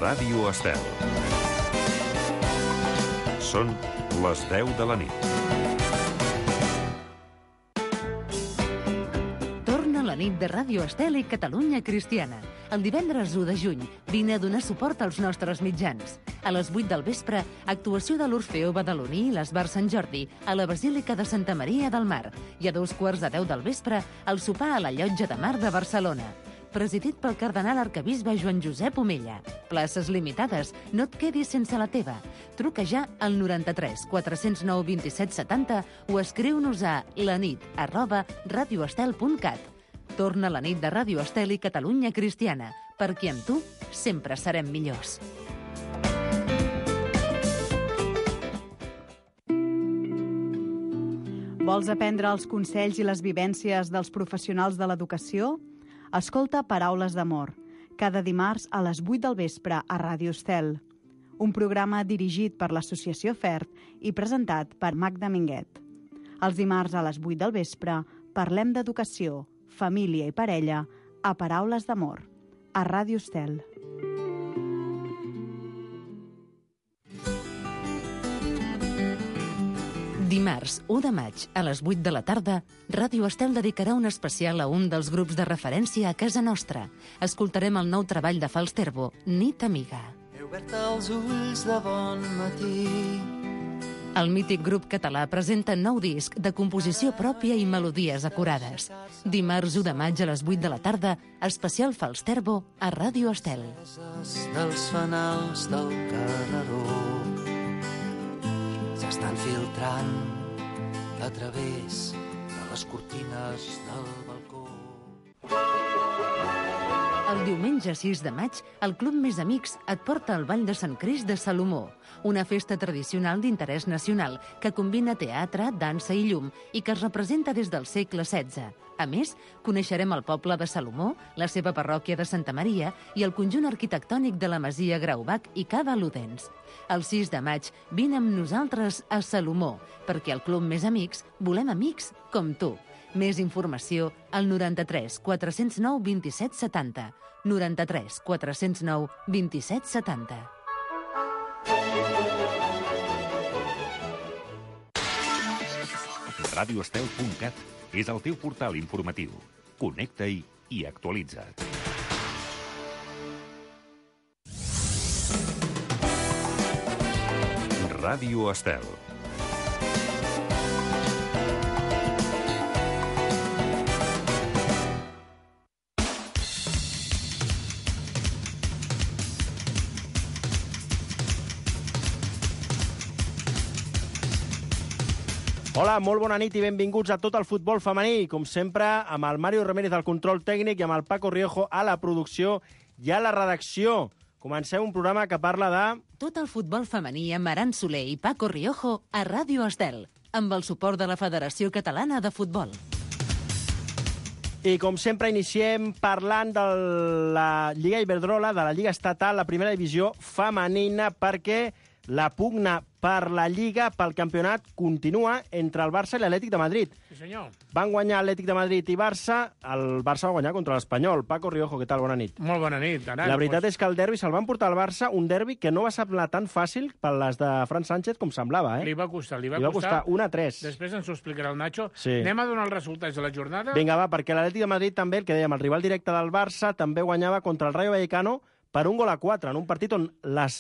Ràdio Estel. Són les 10 de la nit. Torna la nit de Ràdio Estel i Catalunya Cristiana. El divendres 1 de juny vine a donar suport als nostres mitjans. A les 8 del vespre, actuació de l'Orfeó Badaloní i l'Esbar Sant Jordi a la Basílica de Santa Maria del Mar. I a 2:15 del vespre, el sopar a la Llotja de Mar de Barcelona. Presidit pel cardenal arquebisbe Joan Josep Omella. Places limitades, no et quedis sense la teva. Truca ja al 93 409 27 70 o escriu-nos a lanit@radioestel.cat. Torna la nit de Ràdio Estel i Catalunya Cristiana, perquè amb tu sempre serem millors. Vols aprendre els consells i les vivències dels professionals de l'educació? Escolta Paraules d'Amor, cada dimarts a les 8 del vespre a Ràdio Estel. Un programa dirigit per l'Associació FERT i presentat per Magda Minguet. Els dimarts a les 8 del vespre parlem d'educació, família i parella a Paraules d'Amor, a Ràdio Estel. Dimarts 1 de maig, a les 8 de la tarda, Ràdio Estel dedicarà un especial a un dels grups de referència a casa nostra. Escoltarem el nou treball de Falsterbo, Nit Amiga. He obert els ulls de bon matí. El mític grup català presenta nou disc de composició pròpia i melodies acurades. Dimarts 1 de maig a les 8 de la tarda, especial Falsterbo a Ràdio Estel. Dels fanals del carreró s'estan filtrant a través de les cortines del balcó. El diumenge 6 de maig, el Club Més Amics et porta al Ball de Sant Crist de Salomó, una festa tradicional d'interès nacional que combina teatre, dansa i llum i que es representa des del segle XVI. A més, coneixerem el poble de Salomó, la seva parròquia de Santa Maria i el conjunt arquitectònic de la Masia Graubach i Cava Ludens. El 6 de maig vine amb nosaltres a Salomó, perquè al Club Més Amics volem amics com tu. Més informació al 93 409 27 70. 93 409 27 70. Radioestel.cat és el teu portal informatiu. Connecta-hi i actualitza't. Ràdio Estel. Hola, molt bona nit i benvinguts a tot el futbol femení. Com sempre, amb el Mario Ramírez al control tècnic i amb el Paco Riojo a la producció i a la redacció. Comencem un programa que parla de... Tot el futbol femení amb Aran Soler i Paco Riojo a Ràdio Estel, amb el suport de la Federació Catalana de Futbol. I com sempre iniciem parlant de la Lliga Iberdrola, de la Lliga Estatal, la primera divisió femenina, perquè la pugna per la Lliga, pel campionat, continua entre el Barça i l'Atlètic de Madrid. Sí, senyor. Van guanyar Atlètic de Madrid i Barça. El Barça va guanyar contra l'Espanyol. Paco Riojo, què tal? Bona nit. Molt bona nit. Aran, La veritat és que el derbi se'l van portar al Barça, un derbi que no va semblar tan fàcil per les de Fran Sánchez com semblava. Li va costar. Li va costar 1-3. Després ens ho explicarà el Nacho. Sí. Anem a donar els resultats de la jornada? Vinga, va, perquè l'Atlètic de Madrid també, el que dèiem, el rival directe del Barça, també guanyava contra el Rayo Vallecano per 1-4, en un partit on les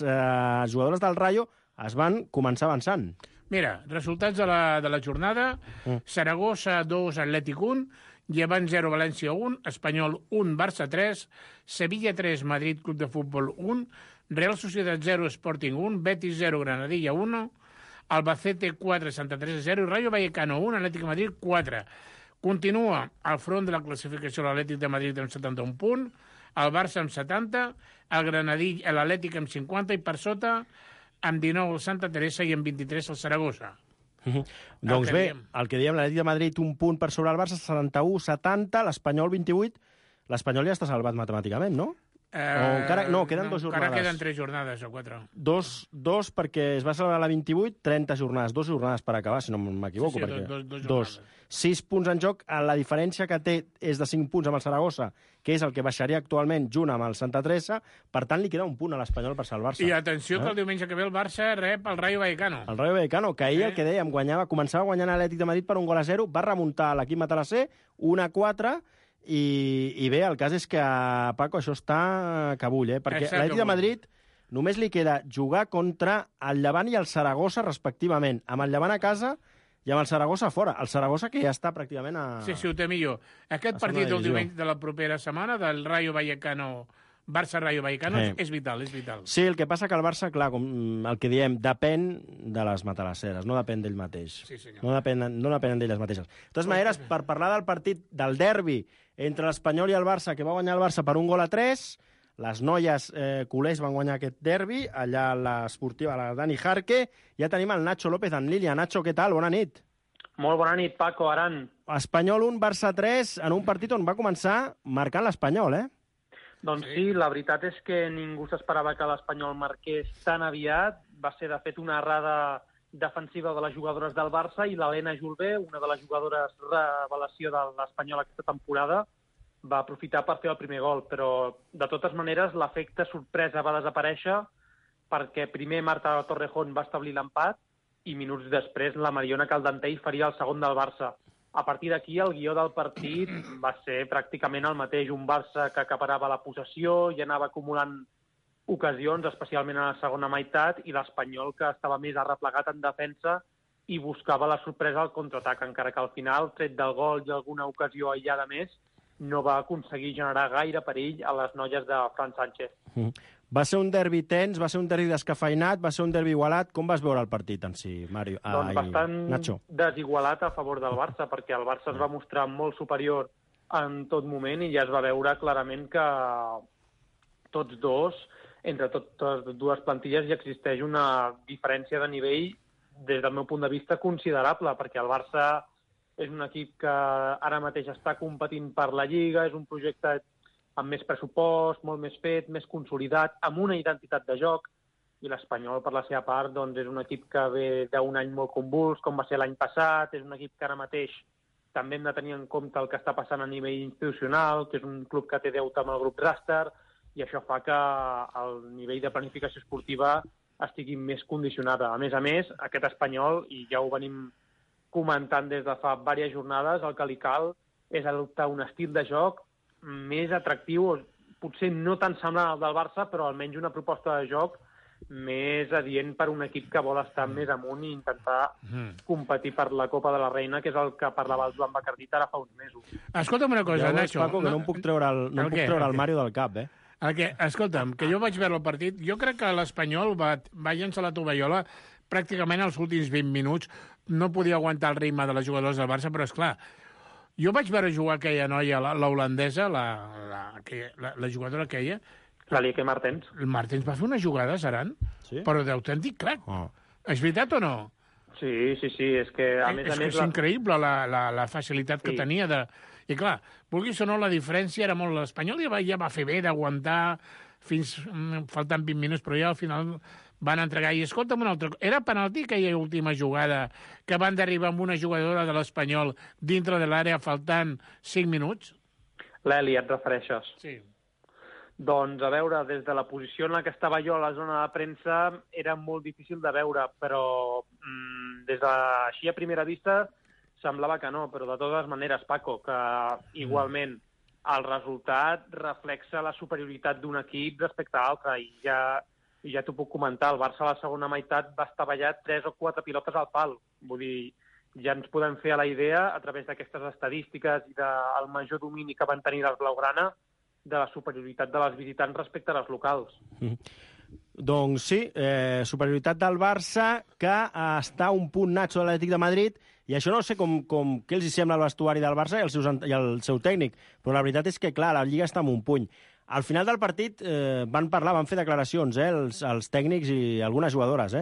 jugadores del Rayo es van començar avançant. Mira, resultats de la jornada. Saragossa 2, Atlètic 1, Llevant 0, València 1, Espanyol 1, Barça 3, Sevilla 3, Madrid Club de Futbol 1, Real Sociedad 0, Sporting 1, Betis 0, Granadilla 1, Albacete 4, Santa Teresa 0 i Rayo Vallecano 1, Atlètic de Madrid 4. Continua al front de la classificació l'Atlètic de Madrid amb 71 punts, el Barça amb 70, el Granadilla, l'Atlètic amb 50 i per sota amb 19 el Santa Teresa i amb 23 el Saragossa. Doncs bé, el que diem, l'Atlètic de Madrid un punt per sobre el Barça, 71-70, l'Espanyol 28. L'Espanyol ja està salvat matemàticament, no? Queden 2 jornades. Encara queden 3 jornades o 4. Dos perquè es va celebrar la 28, 30 jornades. 2 jornades per acabar, si no m'equivoco. Sí, perquè... dos. 6 punts en joc. La diferència que té és de 5 punts amb el Saragossa, que és el que baixaria actualment junt amb el Santa Teresa. Per tant, li queda un punt a l'Espanyol per salvar-se. I atenció que el diumenge que ve el Barça rep el Rayo Vallecano. El Rayo Vallecano, que ahir el que dèiem, començava guanyant l'Atlètic de Madrid per 1-0, va remuntar l'equip matalasser 1-4, i bé, el cas és que, Paco, això està que bull, perquè l'Atlètic de Madrid només li queda jugar contra el Llevant i el Saragossa, respectivament, amb el Llevant a casa i amb el Saragossa fora. El Saragossa que ja està pràcticament a... Sí, ho té millor. Aquest partit del diumenge de la propera setmana, del Rayo Vallecano, Barça-Rayo Vallecano, és vital, és vital. Sí, el que passa que el Barça, clar, com el que diem, depèn de les matalasseres, no depèn d'ell mateix. Sí, senyor. No depenen d'elles mateixes. De totes maneres, per parlar del partit, del derbi entre l'Espanyol i el Barça, que va guanyar el Barça per 1-3, les noies culers van guanyar aquest derbi, allà a l'esportiva, la Dani Jarque. Ja tenim el Nacho López en línia. Nacho, què tal? Bona nit. Molt bona nit, Paco, Aran. Espanyol 1, Barça 3, en un partit on va començar marcant l'Espanyol, Doncs sí, la veritat és que ningú s'esperava que l'Espanyol marqués tan aviat. Va ser, de fet, una errada defensiva de les jugadores del Barça i l'Helena Julbé, una de les jugadores revelació de l'Espanyol aquesta temporada, va aprofitar per fer el primer gol, però de totes maneres l'efecte sorpresa va desaparèixer perquè primer Marta Torrejón va establir l'empat i minuts després la Mariona Caldentell faria el segon del Barça. A partir d'aquí el guió del partit va ser pràcticament el mateix, un Barça que acaparava la possessió i anava acumulant ocasions, especialment a la segona meitat, i l'Espanyol que estava més arreplegat en defensa i buscava la sorpresa al contraatac, encara que al final, tret del gol i alguna ocasió aïllada més, no va aconseguir generar gaire perill a les noies de Fran Sánchez. Va ser un derbi tens, va ser un derbi descafeinat, va ser un derbi igualat. Com vas veure el partit en si, Mario? Doncs bastant Nacho. Desigualat a favor del Barça, perquè el Barça es va mostrar molt superior en tot moment i ja es va veure clarament que tots dos, entre totes dues plantilles, ja existeix una diferència de nivell, des del meu punt de vista, considerable, perquè el Barça és un equip que ara mateix està competint per la Lliga, és un projecte amb més pressupost, molt més fet, més consolidat, amb una identitat de joc, i l'Espanyol, per la seva part, doncs, és un equip que ve d'un any molt convuls, com va ser l'any passat, és un equip que ara mateix també hem de tenir en compte el que està passant a nivell institucional, que és un club que té deute amb el grup Raster, i això fa que el nivell de planificació esportiva estigui més condicionada. A més, aquest Espanyol, i ja ho venim comentant des de fa diverses jornades, el que li cal és adoptar un estil de joc més atractiu, potser no tan semblant al del Barça, però almenys una proposta de joc més adient per un equip que vol estar més amunt i intentar competir per la Copa de la Reina, que és el que parlava el Joan Bacardit ara fa uns mesos. Escolta'm una cosa, Nacho. Paco, que no em puc treure el Mario del cap, Escolta'm, que jo vaig veure el partit, jo crec que l'Espanyol va llençar la tovallola pràcticament als últims 20 minuts, no podia aguantar el ritme de les jugadores del Barça, però és clar, jo vaig veure jugar aquella noia, la holandesa, la jugadora aquella. La Lieke Martens. El Martens va fer una jugada, Saran, sí? Però d'autèntic crac. És veritat o no? Sí, és que a més a més... És increïble la facilitat que tenia de... I clar, vulguis o no, la diferència era molt... L'Espanyol ja va fer bé d'aguantar fins faltant 20 minuts, però ja al final van entregar. I escolta'm un altre... Era penalti aquella última jugada que van derribar amb una jugadora de l'Espanyol dintre de l'àrea faltant 5 minuts? L'Eli, et refereixes? Sí. Doncs, a veure, des de la posició en la que estava jo a la zona de premsa era molt difícil de veure, però des de així a primera vista semblava que no, però de totes maneres, Paco, que igualment el resultat reflexa la superioritat d'un equip respecte a l'altre, i ja t'ho puc comentar, el Barça a la segona meitat va estavellar 3 o 4 pilotes al pal, vull dir, ja ens podem fer a la idea, a través d'aquestes estadístiques i del major domini que van tenir les blaugrana, de la superioritat de les visitants respecte a les locals. Doncs sí, superioritat del Barça, que està a un punt, Nacho, de l'Atlètic de Madrid, i això no sé què els sembla al vestuari del Barça i el seu tècnic, però la veritat és que, clar, la Lliga està en un puny. Al final del partit van fer declaracions, els tècnics i algunes jugadores,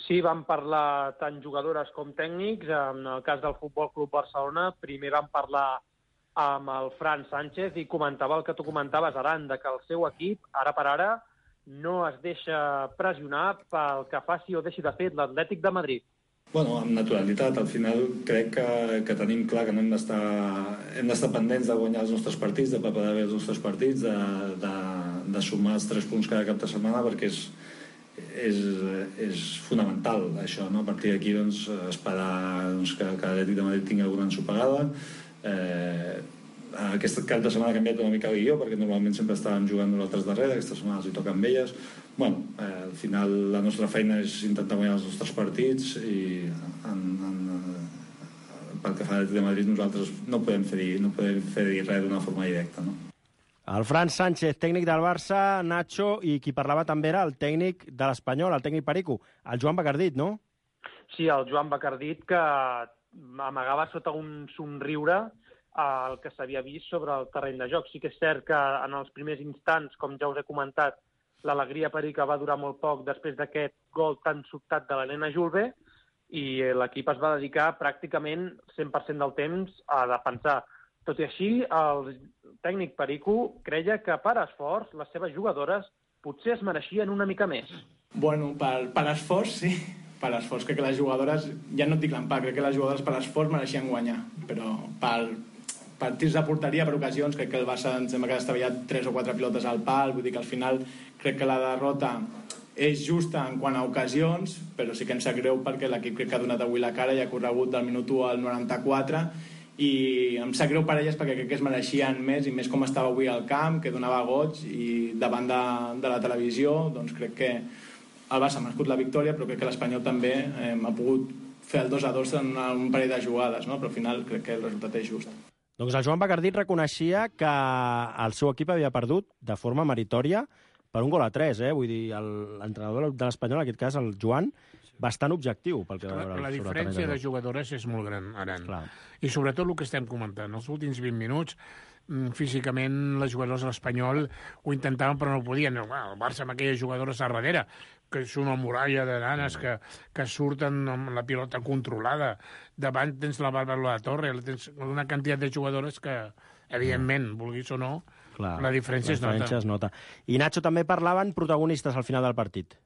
Sí, van parlar tant jugadores com tècnics. En el cas del Futbol Club Barcelona, primer van parlar amb el Fran Sánchez i comentava el que tu comentaves, Aran, de que el seu equip, ara per ara, no es deixa pressionar pel que faci o deixi de fer l'Atlètic de Madrid. Bueno, amb naturalitat. Al final crec que tenim clar que no hem d'estar pendents de guanyar els nostres partits, de preparar bé els nostres partits, de sumar els 3 punts cada cap de setmana, perquè és fonamental això, no? A partir d'aquí doncs, esperar que l'Atlètic de Madrid tingui alguna ensopegada. Aquest cap de setmana ha canviat una mica el guió, perquè normalment sempre estàvem jugant nosaltres darrere, aquesta setmana els hi toca amb elles. Bueno, al final la nostra feina és intentar guanyar els nostres partits i pel que fa a l'Atlètic de Madrid nosaltres no podem fer res d'una forma directa, no? El Fran Sánchez, tècnic del Barça, Nacho, i qui parlava també era el tècnic de l'Espanyol, el tècnic Perico, el Joan Bacardit, no? Sí, el Joan Bacardit, que amagava sota un somriure el que s'havia vist sobre el terreny de joc. Sí que és cert que en els primers instants, com ja us he comentat, l'alegria Perica va durar molt poc després d'aquest gol tan sobtat de l'Helena Julve i l'equip es va dedicar pràcticament 100% del temps a defensar. Tot i així, el tècnic Perico creia que per esforç les seves jugadores potser es mereixien una mica més. Bueno, per esforç, sí. Per esforç, crec que les jugadores, ja no et dic l'empat, crec que les jugadores per esforç mereixien guanyar, però per tirs de porteria, per ocasions, crec que el Barça em sembla que ha estavellat 3 o 4 pilotes al pal, vull dir que al final crec que la derrota és justa en quant a ocasions, però sí que em sap greu perquè l'equip crec que ha donat avui la cara i ha corregut del minut 1 al 94 i em sap greu per elles perquè crec que es mereixien més i més com estava avui al camp, que donava goig i davant de la televisió, doncs crec que el Barça ha merescut la victòria, però crec que l'Espanyol també ha pogut fer el 2-2 en un parell de jugades, no? Però al final crec que el resultat és just. Doncs el Joan Bacardit reconeixia que el seu equip havia perdut de forma meritòria per 1-3, Vull dir, l'entrenador de l'Espanyol, en aquest cas el Joan, bastant objectiu pel que va veure. La diferència de jugadores és molt gran, Aran. Clar. I sobretot el que estem comentant, els últims 20 minuts, físicament les jugadores de l'Espanyol ho intentaven però no podien. El Barça amb aquelles jugadores a darrere, que és una muralla de nanes que surten amb la pilota controlada. Davant tens la Bàrbara La Torre, tens una quantitat de jugadores que, evidentment, vulguis o no, clar, la diferència es nota. I Nacho, també parlaven protagonistes al final del partit.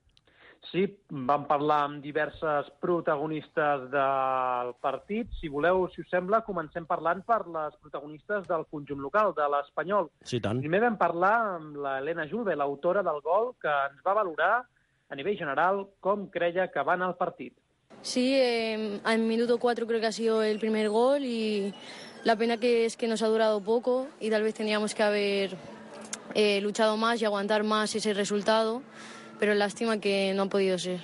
Sí, vam parlar amb diverses protagonistes del partit. Si voleu, si us sembla, comencem parlant per les protagonistes del conjunt local, de l'Espanyol. Sí, tant. Primer vam parlar amb l'Helena Julve, l'autora del gol, que ens va valorar a nivell general com creia que va anar el partit. Sí, al minuto 4 creo que ha sido el primer gol y la pena que es que nos ha durado poco y tal vez tendríamos que haber luchado más y aguantar más ese resultado, pero lástima que no ha podido ser.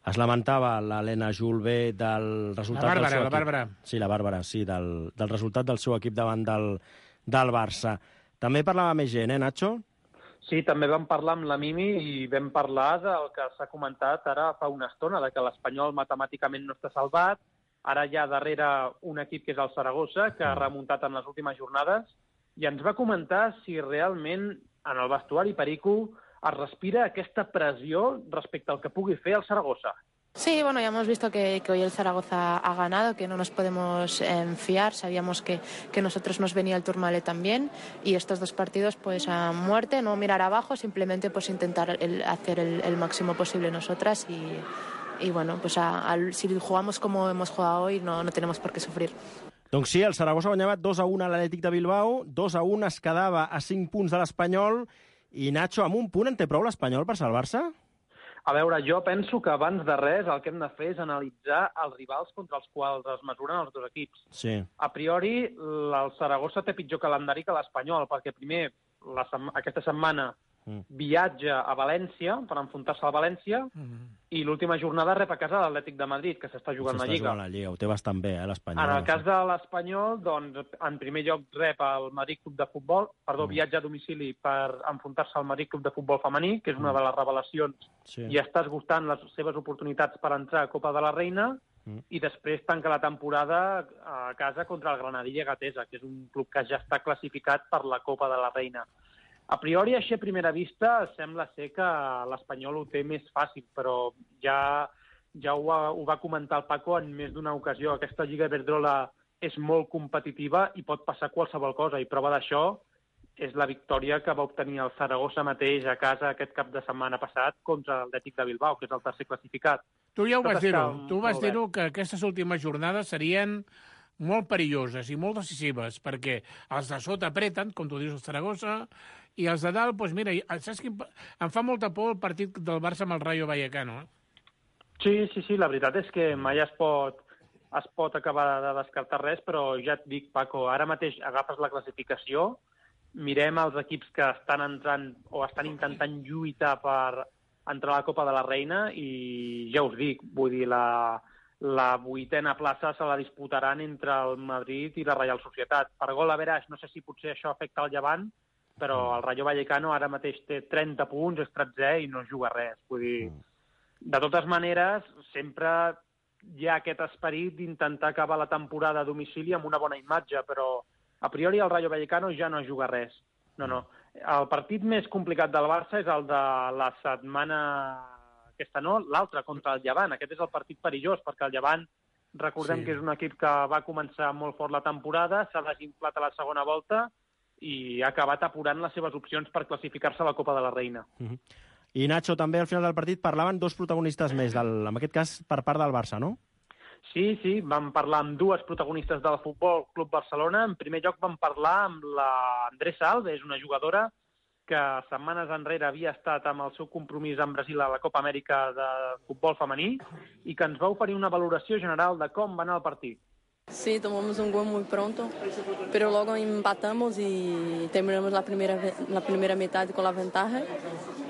Es lamentava l'Helena Julve del resultat del seu equip. La Bàrbara. Sí, la Bàrbara, sí, del resultat del seu equip davant del Barça. També parlava més gent, Nacho? Sí, també vam parlar amb la Mimi i vam parlar del que s'ha comentat ara fa una estona, de que l'Espanyol matemàticament no està salvat. Ara hi ha darrere un equip que és el Saragossa, que ha remuntat en les últimes jornades, i ens va comentar si realment en el vestuari Perico es respira aquesta pressió respecte al que pugui fer el Saragossa. Sí, bueno, ya hemos visto que hoy el Zaragoza ha ganado, que no nos podemos fiar. Sabíamos que nosotros nos venía el Tourmalet también y estos 2 partidos pues a muerte, no mirar abajo, simplemente pues intentar hacer el máximo posible nosotras y bueno, pues si jugamos como hemos jugado hoy no tenemos por qué sufrir. Doncs sí, el Saragossa guanyava 2-1 a l'Atlètic de Bilbao, 2-1 es quedava a 5 punts de l'Espanyol i Nacho, amb un punt en té prou l'Espanyol per salvar-se? A veure, jo penso que abans de res el que hem de fer és analitzar els rivals contra els quals es mesuren els 2 equips. Sí. A priori, el Saragossa té pitjor calendari que l'Espanyol, perquè primer, aquesta setmana, viatja a València per enfrontar-se al València i l'última jornada rep a casa l'Atlètic de Madrid, que s'està jugant la Lliga. La Lliga, ho té bastant bé, l'Espanyol. En el cas de l'Espanyol, doncs, en primer lloc rep el Madrid Club de Futbol, viatja a domicili per enfrontar-se al Madrid Club de Futbol femení, que és una de les revelacions, i està esgotant les seves oportunitats per entrar a Copa de la Reina, i després tanca la temporada a casa contra el Granadilla Gatesa, que és un club que ja està classificat per la Copa de la Reina. A priori, així a primera vista, sembla ser que l'Espanyol ho té més fàcil, però ja ho va comentar el Paco en més d'una ocasió. Aquesta Lliga Iberdrola és molt competitiva i pot passar qualsevol cosa. I prova d'això és la victòria que va obtenir el Saragossa mateix a casa aquest cap de setmana passat contra l'Atlètic de Bilbao, que és el tercer classificat. Tu ja ho vas dir-ho. Tu vas dir-ho que aquestes últimes jornades serien molt perilloses i molt decisives, perquè els de sota apreten, com tu dius, el Saragossa, i els de dalt, doncs mira, saps que em fa molta por el partit del Barça amb el Rayo Vallecano. Sí, la veritat és que mai es pot acabar de descartar res, però ja et dic, Paco, ara mateix agafes la classificació, mirem els equips que estan entrant o estan intentant lluitar per entrar a la Copa de la Reina i ja us dic, vull dir, la 8a plaça se la disputaran entre el Madrid i la Real Societat. Per gol a veraix, no sé si potser això afecta el Llevant, però el Rayo Vallecano ara mateix té 30 punts, és 13è i no juga res. Vull dir, de totes maneres, sempre hi ha aquest esperit d'intentar acabar la temporada a domicili amb una bona imatge, però a priori el Rayo Vallecano ja no juga res. No. El partit més complicat del Barça és el de la setmana aquesta, no? L'altre, contra el Llevant. Aquest és el partit perillós, perquè el Llevant, recordem que és un equip que va començar molt fort la temporada, s'ha desinflat a la segona volta i ha acabat apurant les seves opcions per classificar-se a la Copa de la Reina. I Nacho, també al final del partit parlaven dos protagonistes més, en aquest cas per part del Barça, no? Sí, vam parlar amb dues protagonistes del Futbol Club Barcelona. En primer lloc vam parlar amb l'Andressa Alves, una jugadora que setmanes enrere havia estat amb el seu compromís amb Brasil a la Copa Amèrica de futbol femení i que ens va oferir una valoració general de com va anar el partit. Sí, tomamos un gol muy pronto, pero luego empatamos y terminamos la primera mitad con la ventaja,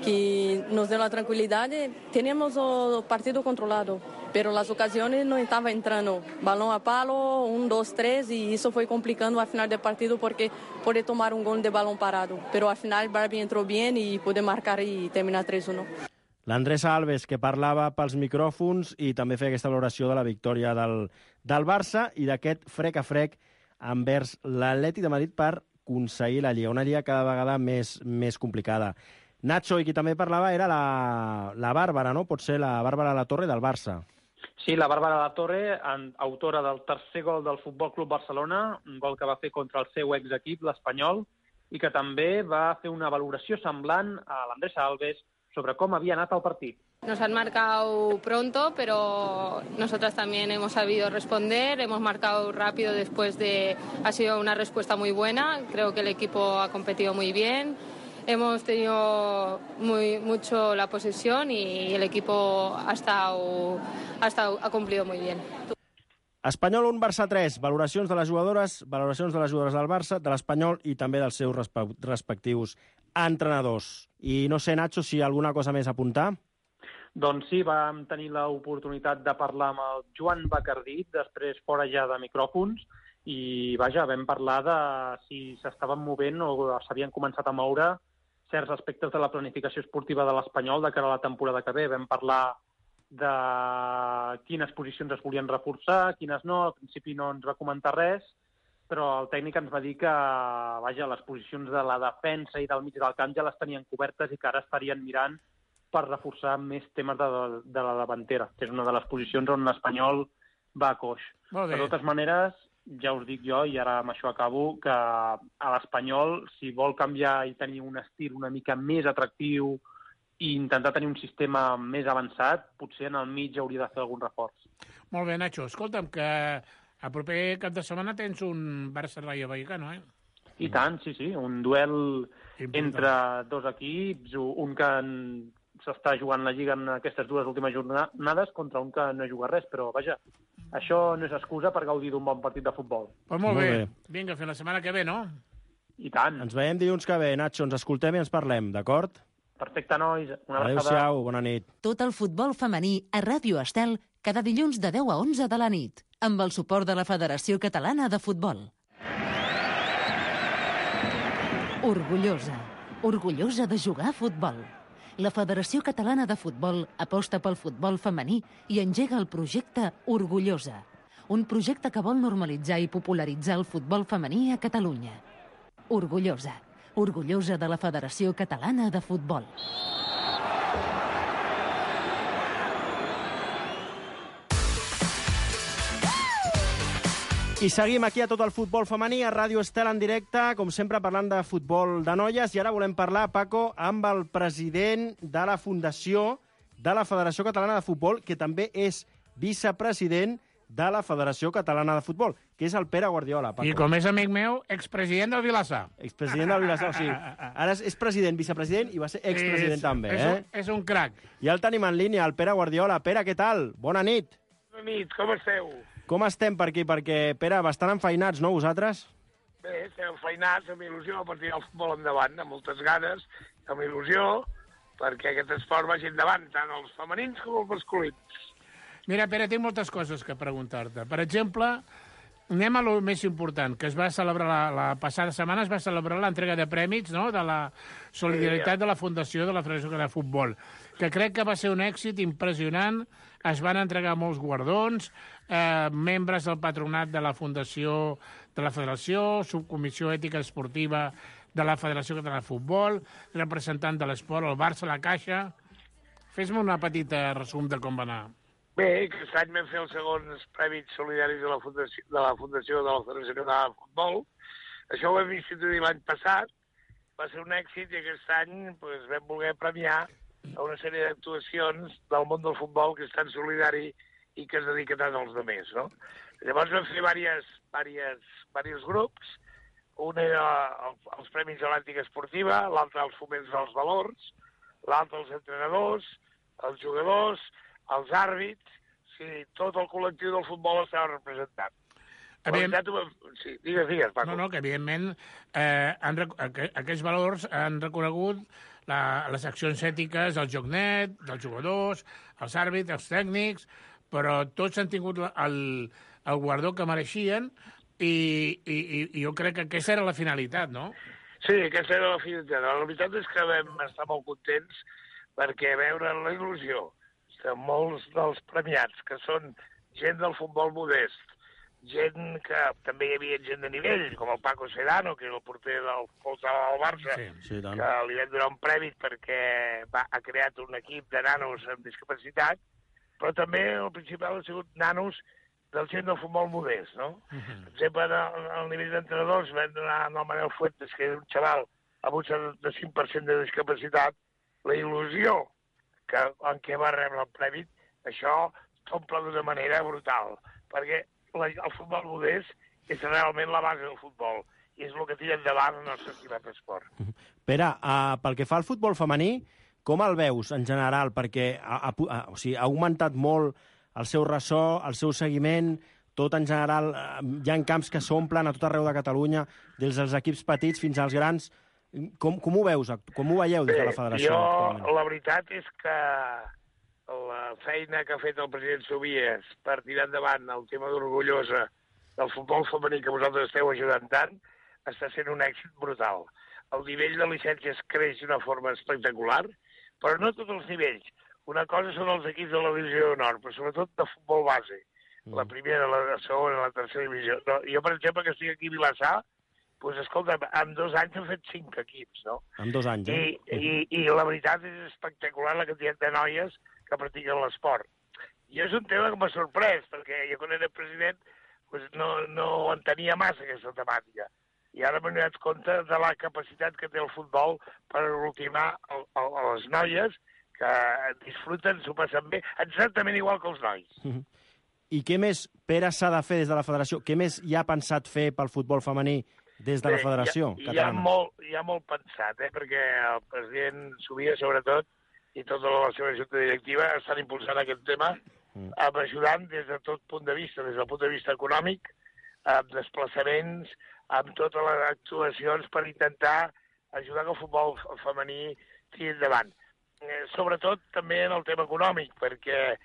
que nos dio la tranquilidad. Teníamos el partido controlado, pero las ocasiones no estaban entrando. Balón a palo, 1, 2, 3, y eso fue complicando al final del partido porque puede tomar un gol de balón parado. Pero al final Barbie entró bien y pude marcar y terminar 3-1. L'Andressa Alves, que parlava pels micròfons i també feia aquesta valoració de la victòria del Barça i d'aquest frec a frec envers l'Atlètic de Madrid per aconseguir la Lliga, una Lliga cada vegada més complicada. Nacho, i qui també parlava era la Bàrbara, no? Pot ser la Bàrbara Latorre del Barça. Sí, la Bàrbara Latorre, autora del tercer gol del Futbol Club Barcelona, un gol que va fer contra el seu exequip, l'Espanyol, i que també va fer una valoració semblant a l'Andressa Alves sobre cómo había nato el partido. Nos han marcado pronto, pero nosotras también hemos sabido responder, hemos marcado rápido ha sido una respuesta muy buena, creo que el equipo ha competido muy bien, hemos tenido mucho la posesión y el equipo ha cumplido muy bien. Espanyol 1, Barça 3, valoracions de les jugadores del Barça, de l'Espanyol i també dels seus respectius entrenadors. I no sé, Nacho, si hi ha alguna cosa més a apuntar? Doncs sí, vam tenir l'oportunitat de parlar amb el Joan Bacardí, després fora ja de micròfons, i vaja, vam parlar de si s'estaven movent o s'havien començat a moure certs aspectes de la planificació esportiva de l'Espanyol de cara a la temporada que ve. Vam parlar de quines posicions es volien reforçar, quines no. Al principi no ens va comentar res, però el tècnic ens va dir que les posicions de la defensa i del mig del camp ja les tenien cobertes i que ara estarien mirant per reforçar més temes de la davantera, que és una de les posicions on l'Espanyol va a coix. De totes maneres, ja us dic jo, i ara amb això acabo, que a l'Espanyol, si vol canviar i tenir un estil una mica més atractiu i intentar tenir un sistema més avançat, potser en el mig hauria de fer algun reforç. Molt bé, Nacho. Escolta'm, que a proper cap de setmana tens un Barça-Rayo Vallecano, eh? I tant, sí. Un duel entre dos equips, un que s'està jugant la Lliga en aquestes dues últimes jornades contra un que no juga res, però vaja, això no és excusa per gaudir d'un bon partit de futbol. Pues molt bé. Vinga, fins la setmana que ve, no? I tant. Ens veiem dilluns que ve, Nacho. Ens escoltem i ens parlem, d'acord? Perfecte, nois. Una abraçada. Adéu-siau, bona nit. Tot el futbol femení a Ràdio Estel cada dilluns de 10 a 11 de la nit, amb el suport de la Federació Catalana de Futbol. Orgullosa de jugar a futbol. La Federació Catalana de Futbol aposta pel futbol femení i engega el projecte Orgullosa, un projecte que vol normalitzar i popularitzar el futbol femení a Catalunya. Orgullosa de la Federació Catalana de Futbol. I seguim aquí a Tot el futbol femení, a Ràdio Estel en directe, com sempre parlant de futbol de noies, i ara volem parlar, Paco, amb el president de la Fundació de la Federació Catalana de Futbol, que també és vicepresident de la Federació Catalana de Futbol, que és el Pere Guardiola, Paco. I com és amic meu, expresident del Vilassar. Expresident del Vilassar, o sigui, ara és president, vicepresident i va ser expresident també, És un crac. I el tenim en línia, el Pere Guardiola. Pere, què tal? Bona nit. Bona nit, com esteu? Com estem per aquí? Perquè, Pere, bastant enfeinats, no, vosaltres? Bé, estem enfeinats, amb il·lusió, per tirar el futbol endavant, amb moltes ganes, amb il·lusió, perquè aquest esport vagi endavant, tant els femenins com els masculins. Mira, Pere, tinc moltes coses que preguntar-te. Per exemple, anem a lo més important, que es va celebrar la passada setmana, es va celebrar l'entrega de prèmits, no?, de la solidaritat de la Fundació de la Federació de Futbol, que crec que va ser un èxit impressionant. Es van entregar molts guardons, membres del patronat de la Fundació de la Federació, subcomissió ètica esportiva de la Federació Catalana de Futbol, representant de l'esport, el Barça, la Caixa. Fes-me una petita resum de com va anar. Bé, aquest any vam fer els segons prèmits solidaris de la Fundació de la Federació Catalana de Futbol. Això ho vam instituir l'any passat, va ser un èxit i aquest any vam voler premiar a una sèrie d'actuacions del món del futbol que és tan solidari i que es dedica tant als altres, no? Llavors vam fer diversos grups. Un era els Premis de l'Ètica Esportiva, l'altre els Foments dels Valors, l'altre els entrenadors, els jugadors, els àrbits, sí, tot el col·lectiu del futbol estava representat. Sí, digues, Paco. No, que evidentment aquests valors han reconegut les accions ètiques del joc net, dels jugadors, els àrbits, els tècnics, però tots han tingut el guardó que mereixien i jo crec que aquesta era la finalitat, no? Sí, aquesta era la finalitat. La veritat és que vam estar molt contents perquè veure la il·lusió de molts dels premiats, que són gent del futbol modest, gent que també hi havia gent de nivell, com el Paco Sedano, que era el porter del Barça, que li vam donar un premi perquè ha creat un equip de nanos amb discapacitat, però també el principal ha sigut nanos del gent del futbol modest, no? Per exemple, al nivell d'entrenadors vam donar al Manel Fuentes, que és un xaval amb un 75% de discapacitat, la il·lusió en què va rebre el premi, això t'omple d'una manera brutal, perquè el futbol modest és realment la base del futbol i és el que tira endavant el nostre estimat esport. Pere, pel que fa al futbol femení, com el veus en general? Perquè ha augmentat molt el seu ressò, el seu seguiment, tot en general, hi ha camps que s'omplen a tot arreu de Catalunya, des dels equips petits fins als grans. Com ho veus? Com ho veieu des de la federació actualment? La veritat és que la feina que ha fet el president Sobies per tirar endavant el tema d'Orgullosa del futbol femení que vosaltres esteu ajudant tant, està sent un èxit brutal. El nivell de llicències creix d'una forma espectacular, però no tots els nivells. Una cosa són els equips de la divisió d'honor, però sobretot de futbol base. La primera, la segona, la tercera divisió. Jo, per exemple, que estic aquí a Vilassar, doncs, escolta, en 2 anys hem fet 5 equips, no? En 2 anys, I la veritat és espectacular la quantitat de noies que practiquen l'esport. I és un tema que m'ha sorprès, perquè jo quan era president no entenia massa aquesta temàtica. I ara m'he donat compte de la capacitat que té el futbol per ultimar les noies que disfruten, s'ho passen bé, exactament igual que els nois. I què més, Pere, s'ha de fer des de la federació? Què més hi ha pensat fer pel futbol femení des de la federació catalana? Hi ha molt pensat, perquè el president Sobies, sobretot, i tota la seva junta directiva estan impulsant aquest tema, ajudant des de tot punt de vista, des del punt de vista econòmic, amb desplaçaments, amb totes les actuacions per intentar ajudar que el futbol femení tiri endavant. Sobretot també en el tema econòmic, perquè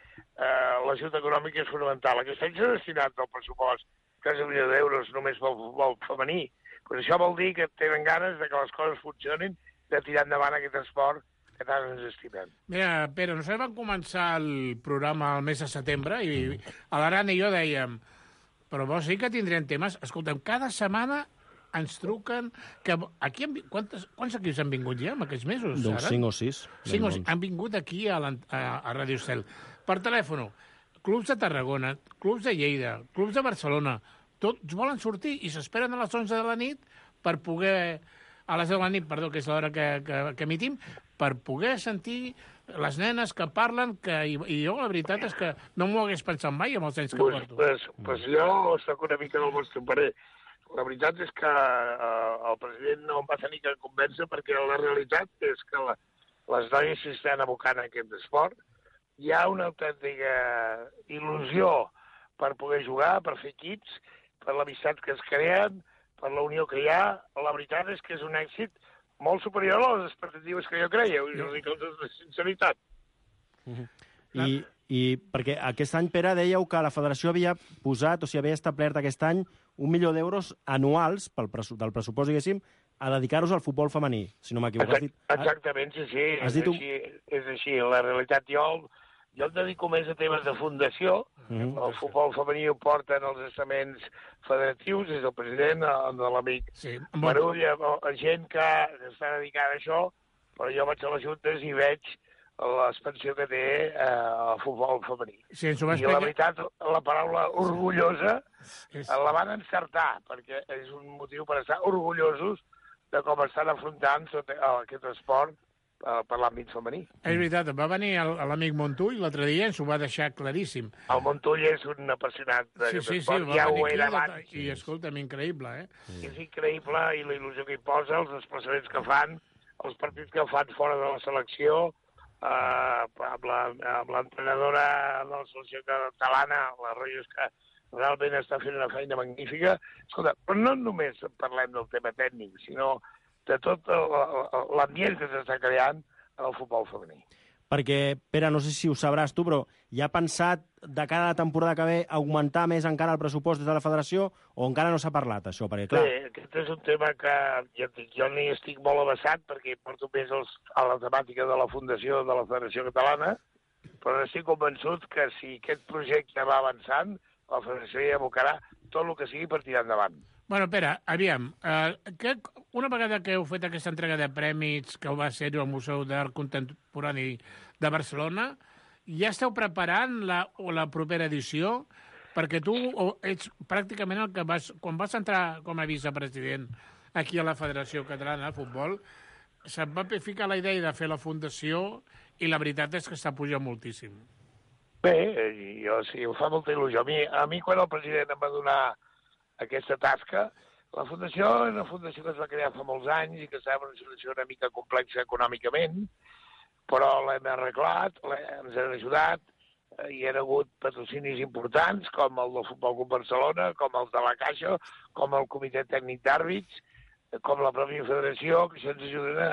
l'ajut econòmic és fonamental. Aquest any s'ha destinat del pressupost quasi $1 milió només pel futbol femení. Però això vol dir que tenen ganes de que les coses funcionin, de tirar endavant aquest esport que tant ens estimem. Mira, Pere, nosaltres vam començar el programa el mes de setembre i a l'Aran i jo dèiem, però vols dir que tindrem temes? Escolta'm, cada setmana ens truquen... Quants equips han vingut ja en aquests mesos? Doncs 5 o 6. 5 o 6 han vingut aquí a Ràdio Estel. Per telèfon, clubs de Tarragona, clubs de Lleida, clubs de Barcelona, tots volen sortir i s'esperen a les 11 de la nit per poder... A les 10 de la nit, perdó, que és l'hora que emitim, per poder sentir les nenes que parlen, i jo la veritat és que no m'ho hagués pensat mai amb els anys que porto. Pues jo soc una mica del vostre parer. La veritat és que el president no em va tenir que convèncer perquè la realitat és que les noies s'estan abocant a aquest esport. Hi ha una autèntica il·lusió per poder jugar, per fer equips, per l'amistat que es creen, per la unió que hi ha. La veritat és que és un èxit molt superior a les expectatives que jo creia, ho dic amb tota sinceritat. I perquè aquest any, Pere, dèieu que la federació havia posat, o sigui, havia establert aquest any 1 milió d'euros anuals del pressupost, diguéssim, a dedicar-los al futbol femení, si no m'equivoco. Exactament, sí, és així. La realitat, jo em dedico més a temes de fundació. El futbol femení ho porten els estaments federatius, és el president, de l'amic Marull, gent que està dedicada a això, però jo vaig a les juntes i veig l'expansió que té el futbol femení. I la veritat, la paraula orgullosa la van encertar, perquè és un motiu per estar orgullosos de com estan afrontant aquest esport per l'àmbit femení. És veritat, va venir l'amic Montull l'altre dia i ens ho va deixar claríssim. El Montull és un apassionat d'aquest esport, ja ho era abans. I escolta'm, increïble, És increïble, i la il·lusió que hi posa, els desplaçaments que fan, els partits que fan fora de la selecció, amb l'entrenadora de la selecció catalana, la Reyes, que realment està fent una feina magnífica. Escolta, però no només parlem del tema tècnic, sinó de tot l'ambient que s'està creant en el futbol femení. Perquè, Pere, no sé si ho sabràs tu, però ja ha pensat de cara a la temporada que ve augmentar més encara el pressupost des de la federació o encara no s'ha parlat, això? Perquè, clar... Bé, aquest és un tema que jo n'hi estic molt avançat perquè porto més a la temàtica de la fundació de la Federació Catalana, però estic convençut que si aquest projecte va avançant, la federació hi abocarà tot el que sigui per tirar endavant. Bueno, Pere, aviam, una vegada que heu fet aquesta entrega de prèmits que va ser al Museu d'Art Contemporani de Barcelona, ja esteu preparant la propera edició? Perquè tu ets pràcticament el que quan vas entrar com a vicepresident aquí a la Federació Catalana de Futbol, se't va ficar la idea de fer la fundació i la veritat és que està pujant moltíssim. Bé, sí, em fa molta il·lusió. A mi quan el president em va donar aquesta tasca, la fundació és una fundació que es va crear fa molts anys i que estava en una situació una mica complexa econòmicament, però l'hem arreglat, ens han ajudat, hi ha hagut patrocinis importants, com el del Futbol Club Barcelona, com els de la Caixa, com el Comitè Tècnic d'Àrbits, com la pròpia federació, que això ens ajuda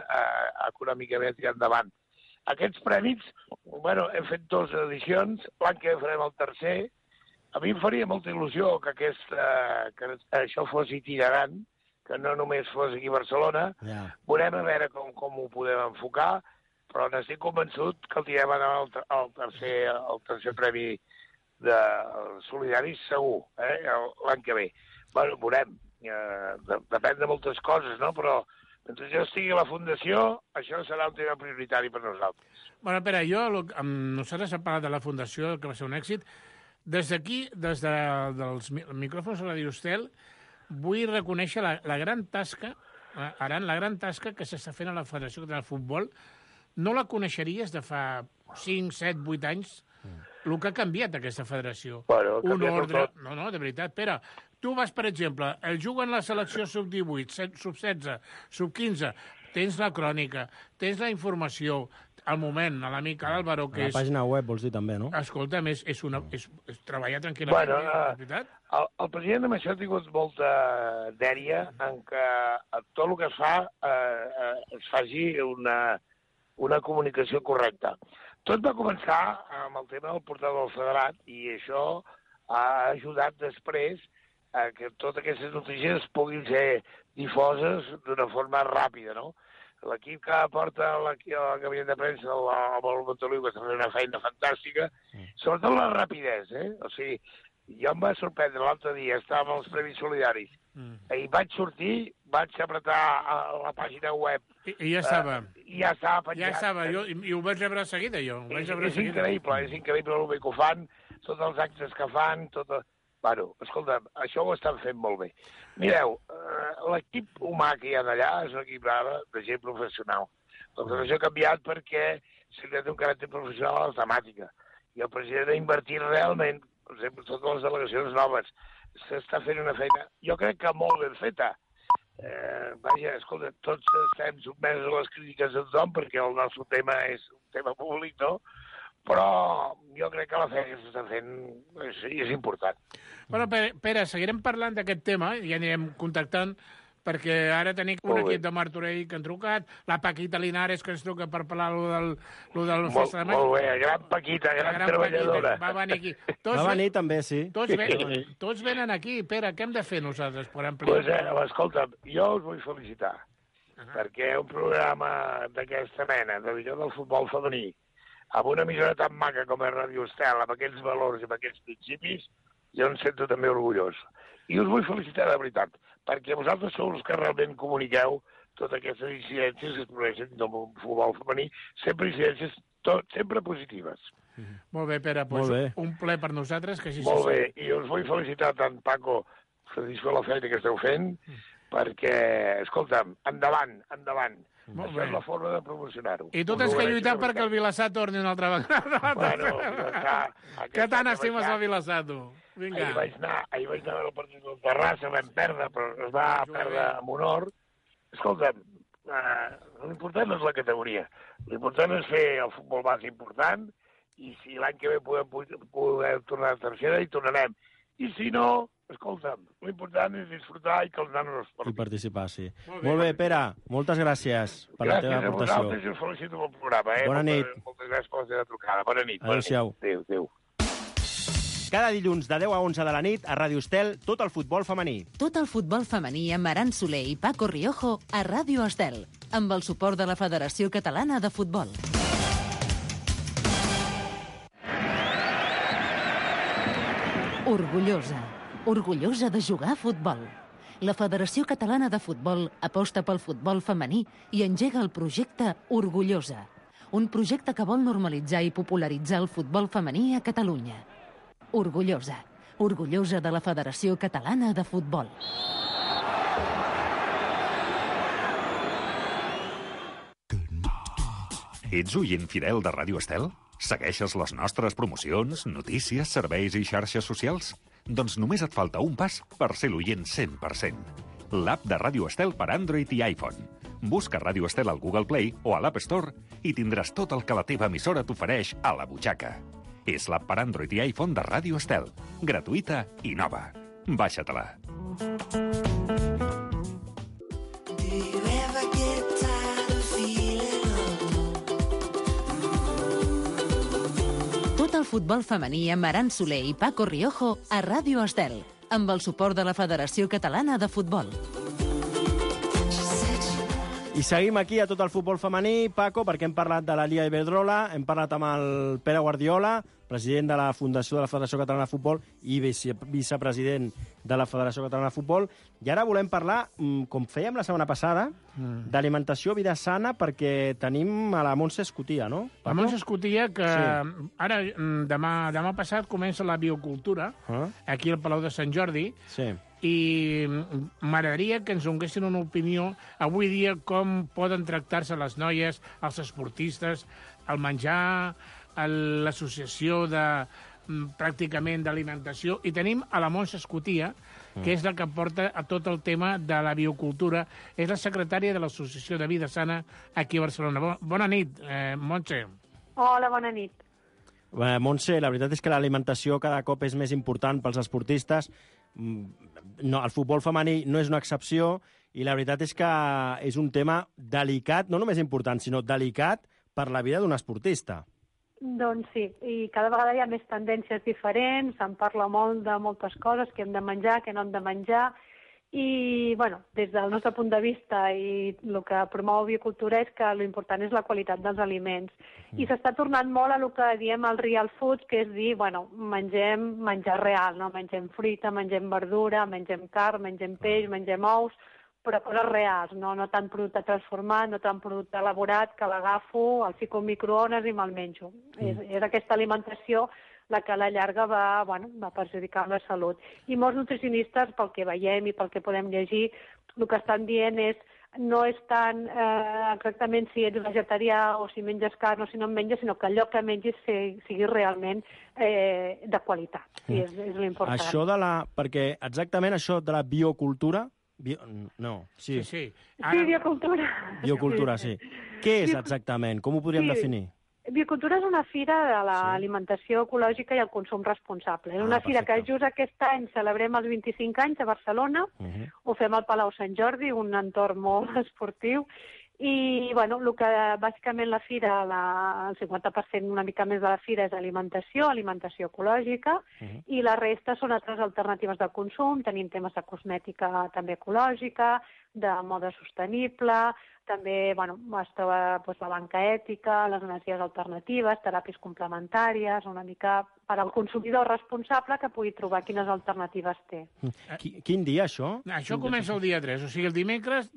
econòmicament a tirar endavant. Aquests prèmits, bueno, hem fet 2 edicions, l'any que farem el tercer. A mi em faria molta il·lusió que això fos itinerant, que no només fos aquí a Barcelona. Veurem a veure com ho podem enfocar, però n'estic convençut que el tirem al tercer premi de solidaris segur, l'any que ve. Bueno, veurem. Depèn de moltes coses, no? Però mentre jo estigui a la Fundació, això serà un tema prioritari per nosaltres. Bueno, Pere, nosaltres hem parlat de la Fundació, que va ser un èxit. Des d'aquí, des dels micròfons de Radio Estel, vull reconèixer la gran tasca, Aran, la gran tasca que s'està fent a la Federació Catalana de Futbol. No la coneixeries de fa 5, 7, 8 anys, el que ha canviat aquesta federació. Bueno, un ordre... No, de veritat. Pere, tu vas, per exemple, juguen la selecció sub-18, sub-16, sub-15, tens la crònica, tens la informació, al moment, a l'amic Álvaro, que és... La pàgina web, vols dir, també, no? Escolta'm, és treballar tranquil·lament, és veritat? El president amb això ha tingut molta dèria en que tot el que es fa es faci una comunicació correcta. Tot va començar amb el tema del portal del federat i això ha ajudat després a que totes aquestes notícies puguin ser difoses d'una forma ràpida, no? L'equip que porta al gabinet de premsa, el Montoliu, que està fent una feina fantàstica, sobretot la rapidesa, O sigui, jo em va sorprendre l'altre dia, estava amb els Premis Solidaris, i vaig sortir, vaig apretar la pàgina web. I ja estava. Ja estava penjat. Ja estava, i ho vaig rebre seguida, jo. És increïble el bé que ho fan, tots els actes que fan, Bueno, escolta, això ho estan fent molt bé. Mireu, l'equip humà que hi ha d'allà és un equip de gent professional. La federació ha canviat perquè s'ha creat un caràcter professional a la temàtica. I el president ha invertit realment, per exemple, totes les delegacions noves. S'està fent una feina, jo crec que molt ben feta. Vaja, escolta, tots estem sotmesos a les crítiques de tothom perquè el nostre tema és un tema públic, no? Però jo crec que la feina que s'està fent és important. Bueno, Pere, seguirem parlant d'aquest tema, ja anirem contactant, perquè ara tenim un equip de Martorell que han trucat, la Paquita Linares que ens truca per parlar lo del Festa de Maig. Molt bé, gran Paquita, gran treballadora. Va venir aquí. Va venir també, sí. Tots venen aquí. Pere, què hem de fer nosaltres per ampliar? Doncs, escolta'm, jo us vull felicitar, perquè un programa d'aquesta mena, de visió del futbol femení, amb una emissora tan maca com és Ràdio Estel, amb aquests valors i amb aquests principis, jo em sento també orgullós. I us vull felicitar de veritat, perquè vosaltres sou els que realment comuniqueu totes aquestes incidències que es produeixen del futbol femení, sempre incidències sempre positives. Molt bé, Pere, un ple per nosaltres, que així molt bé, i us vull felicitar tant, Paco, satisfer la feina que esteu fent, perquè, escolta'm, endavant. Això és la forma de promocionar-ho. I tu tens que lluitar perquè el Vilassar torni una altra vegada. Bueno, que tant estimes el Vilassar, tu? Vinga. Ahir vaig anar a veure el partit del Terrassa, vam perdre, però es va perdre amb honor. Escolta'm, l'important no és la categoria. L'important és fer el futbol base important, i si l'any que ve podem tornar a tercera, hi tornarem. I si no, escolta'm, l'important és disfrutar i que els nanos es portin. I participar, sí. Molt bé, Pere, moltes gràcies per la teva aportació. Gràcies a vosaltres i us felicito pel programa. Bona nit. Moltes gràcies per la teva trucada. Bona nit. Adéu-siau. Adéu. Cada dilluns de 10 a 11 de la nit a Ràdio Estel, tot el futbol femení. Tot el futbol femení amb Aran Soler i Paco Riojo a Ràdio Estel, amb el suport de la Federació Catalana de Futbol. Orgullosa de jugar a futbol. La Federació Catalana de Futbol aposta pel futbol femení i engega el projecte Orgullosa, un projecte que vol normalitzar i popularitzar el futbol femení a Catalunya. Orgullosa de la Federació Catalana de Futbol. Ets oient fidel de Ràdio Estel? Segueixes les nostres promocions, notícies, serveis i xarxes socials? Doncs només et falta un pas per ser l'oient 100%. L'app de Ràdio Estel per Android i iPhone. Busca Ràdio Estel al Google Play o a l'App Store i tindràs tot el que la teva emissora t'ofereix a la butxaca. És l'app per Android i iPhone de Ràdio Estel. Gratuïta i nova. Baixa-te-la. Tot el futbol femení amb Aran Soler i Paco Riojo a Ràdio Estel, amb el suport de la Federació Catalana de Futbol. I seguim aquí a tot el futbol femení, Paco, perquè hem parlat de la Lliga Iberdrola, hem parlat amb el Pere Guardiola, president de la Fundació de la Federació Catalana de Futbol i vicepresident de la Federació Catalana de Futbol, i ara volem parlar, com fèiem la setmana passada, d'alimentació, vida sana, perquè tenim a la Montse Escotia, no, Paco? La Montse Escotia, que ara, demà passat, comença la biocultura, aquí al Palau de Sant Jordi, i m'agradaria que ens donessin una opinió avui dia com poden tractar-se les noies, els esportistes, el menjar, l'associació de pràcticament d'alimentació, i tenim a la Montse Escotia, que és la que porta a tot el tema de la biocultura, és la secretària de l'Associació de Vida Sana aquí a Barcelona. Bona nit, Montse. Hola, bona nit. Montse, la veritat és que l'alimentació cada cop és més important pels esportistes. No, el futbol femení no és una excepció i la veritat és que és un tema delicat, no només important, sinó delicat per la vida d'un esportista. Doncs sí, i cada vegada hi ha més tendències diferents, se'n parla molt de moltes coses, que hem de menjar, que no hem de menjar, i bueno, des del nostre punt de vista i el que promou biocultura és que l'important és la qualitat dels aliments. I s'està tornant molt a el que diem el real food, que és dir, bueno, mengem menjar real, no? Mengem fruita, mengem verdura, mengem carn, mengem peix, mengem ous, però coses reals, no tant producte transformat, no tant producte elaborat, que l'agafo, el fico en microones i me'l menjo. És aquesta alimentació la que a la llarga va perjudicar la salut. I molts nutricionistes, pel que veiem i pel que podem llegir, el que estan dient no és tant exactament si ets vegetarià o si menges carn o si no en menges, sinó que allò que mengis sigui realment de qualitat. Sí, és l'important. Això perquè exactament això de la biocultura... Sí. Sí, biocultura. Biocultura, sí. Què és exactament? Com ho podríem definir? Biocultura és una fira de l'alimentació ecològica i el consum responsable. És una fira que just aquest any celebrem els 25 anys a Barcelona, ho fem al Palau Sant Jordi, un entorn molt esportiu, i el que bàsicament la fira, el 50%, una mica més de la fira és alimentació ecològica, i la resta són altres alternatives de consum. Tenim temes de cosmètica també ecològica, de moda sostenible, també es troba la banca ètica, les energies alternatives, teràpies complementàries, una mica per al consumidor responsable que pugui trobar quines alternatives té. Quin dia, això? Això comença el dia 3, o sigui, el dimecres,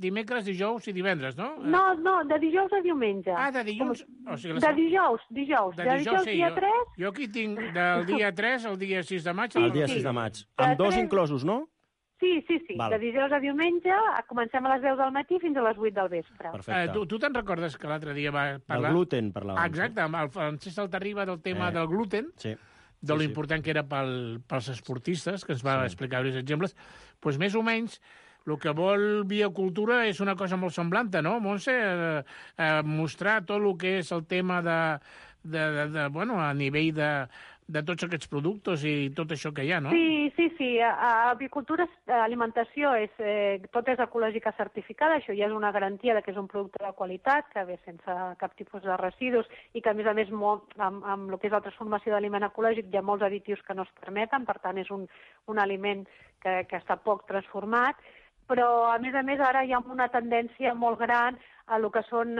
dijous i divendres, no? No, de dijous a diumenge. Ah, de dilluns? De dijous. De dijous dia 3. Jo aquí tinc del dia 3 al dia 6 de maig. El dia 6 de maig. Amb 2 inclosos, no? Sí. De dijous a diumenge comencem a les 10 del matí fins a les 8 del vespre. Perfecte. Tu te'n recordes que l'altre dia va parlar... Del gluten parlàvem. Exacte, amb el Francesc Altarriba del tema del gluten, de lo important que era pels esportistes, que ens va explicar diversos exemples. Doncs més o menys el que vol biocultura és una cosa molt semblant, no, Montse? Mostrar tot el que és el tema a nivell de tots aquests productes i tot això que hi ha, no? Sí. A Biocultura Alimentació tot és ecològica certificada, això ja és una garantia que és un producte de qualitat, que ve sense cap tipus de residus i que, a més, amb el que és la transformació d'aliment ecològic hi ha molts additius que no es permeten, per tant és un aliment que està poc transformat, però, a més, ara hi ha una tendència molt gran a el que són,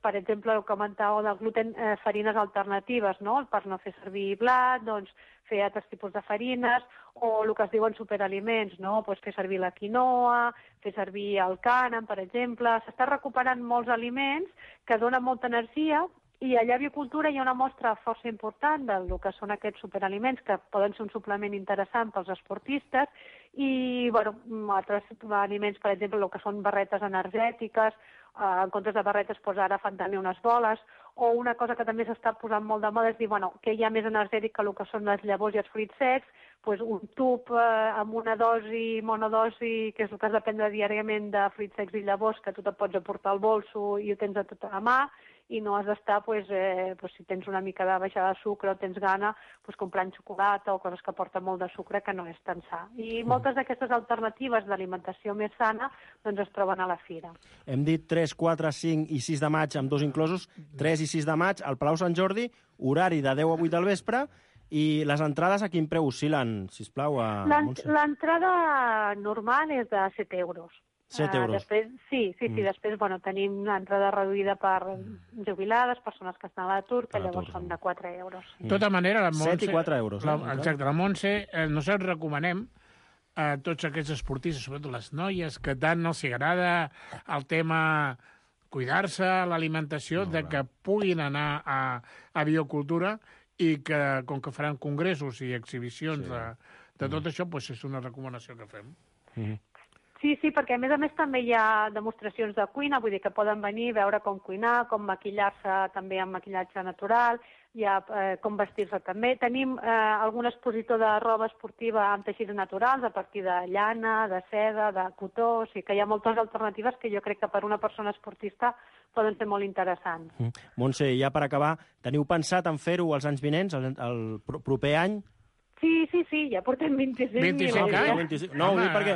per exemple, el que comentàveu del gluten, farines alternatives, no? Per no fer servir blat, doncs fer altres tipus de farines, o el que es diuen superaliments, no? Fer servir la quinoa, fer servir el cànem, per exemple. S'està recuperant molts aliments que donen molta energia, i allà a Biocultura hi ha una mostra força important del que són aquests superaliments, que poden ser un suplement interessant pels esportistes, i altres aliments, per exemple, el que són barretes energètiques, en comptes de barretes ara fan també unes boles, o una cosa que també s'està posant molt de moda és dir, què hi ha més energètic que el que són les llavors i els fruits secs, un tub amb una dosi, monodosi, que és el que has de prendre diàriament de fruits secs i llavors, que tu te pots aportar al bolso i ho tens a tota la mà, i no has d'estar, si tens una mica de baixada de sucre o tens gana, comprant xocolata o coses que porten molt de sucre, que no és tan sa. I moltes d'aquestes alternatives d'alimentació més sana es troben a la fira. Hem dit 3, 4, 5 i 6 de maig, amb 2 inclosos, 3 i 6 de maig, al Palau Sant Jordi, horari de 10 a 8 del vespre, i les entrades a quin preu oscil·len, sisplau? L'entrada normal és de 7 euros. 7 euros. Després tenim una entrada reduïda per jubilades, persones que estan a l'atur, que llavors són de 4 euros. De tota manera, la Montse... 7 i 4 euros. Exacte, la Montse, nosaltres recomanem a tots aquests esportistes, sobretot les noies, que tant els agrada el tema cuidar-se, l'alimentació, que puguin anar a Biocultura i que, com que faran congressos i exhibicions de tot això, és una recomanació que fem. Sí, perquè a més també hi ha demostracions de cuina, vull dir que poden venir, veure com cuinar, com maquillar-se també amb maquillatge natural, hi ha com vestir-se també. Tenim algun expositor de roba esportiva amb teixits naturals, a partir de llana, de seda, de cotó, o sigui que hi ha moltes alternatives que jo crec que per una persona esportista poden ser molt interessants. Montse, ja per acabar, teniu pensat en fer-ho els anys vinents, el proper any? Sí, ja portem 25 anys. No, ho dic perquè...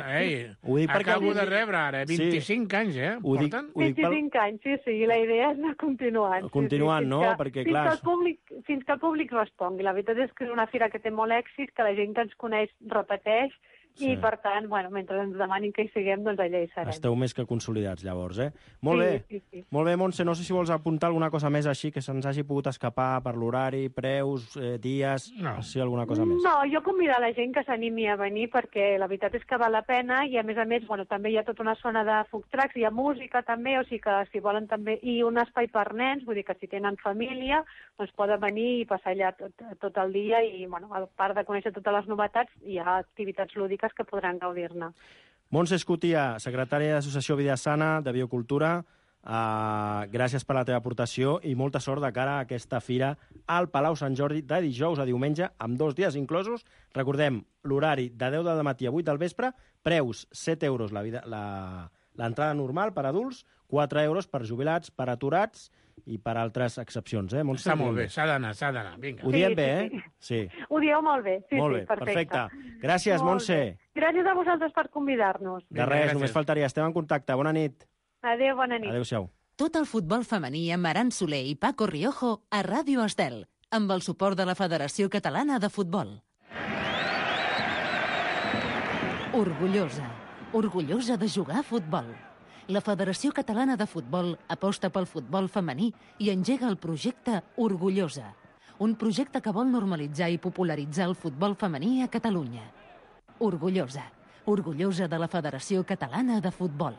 Acabo de rebre ara, 25 anys, porten? 25 anys, sí, i la idea és anar continuant. Continuant, no? Perquè, clar... Fins que el públic respongui. La veritat és que és una fira que té molt èxit, que la gent que ens coneix repeteix, I, per tant, mentre ens demanin que hi siguem, doncs allà hi serem. Esteu més que consolidats, llavors, Molt bé. Sí. Molt bé, Montse, no sé si vols apuntar alguna cosa més així que se'ns hagi pogut escapar per l'horari, preus, dies, alguna cosa més. No, jo convidar la gent que s'animi a venir perquè la veritat és que val la pena i, a més, també hi ha tota una zona de food trucks, hi ha música també, o sigui que si volen també... I un espai per nens, vull dir que si tenen família, doncs poden venir i passar allà tot el dia i, a part de conèixer totes les novetats, hi ha activitats lúdiques que podran gaudir-ne. Montse Escutia, secretària de l'Associació Vida Sana de Biocultura, gràcies per la teva aportació i molta sort de cara a aquesta fira al Palau Sant Jordi de dijous a diumenge, amb 2 dies inclosos. Recordem, l'horari de 10 del matí a 8 del vespre, preus 7 euros l'entrada normal per adults, 4 euros per jubilats, per aturats i per altres excepcions. Està molt bé, s'ha d'anar, vinga. Ho diem bé, Sí. Ho dieu molt bé, sí, molt bé, perfecte. Gràcies, Montse. Gràcies a vosaltres per convidar-nos. De res, només faltaria. Estem en contacte. Bona nit. Adéu, bona nit. Adéu-siau. Tot el futbol femení amb Aran Soler i Paco Riojo a Ràdio Estel, amb el suport de la Federació Catalana de Futbol. Orgullosa de jugar a futbol. La Federació Catalana de Futbol aposta pel futbol femení i engega el projecte Orgullosa, un projecte que vol normalitzar i popularitzar el futbol femení a Catalunya. Orgullosa de la Federació Catalana de Futbol.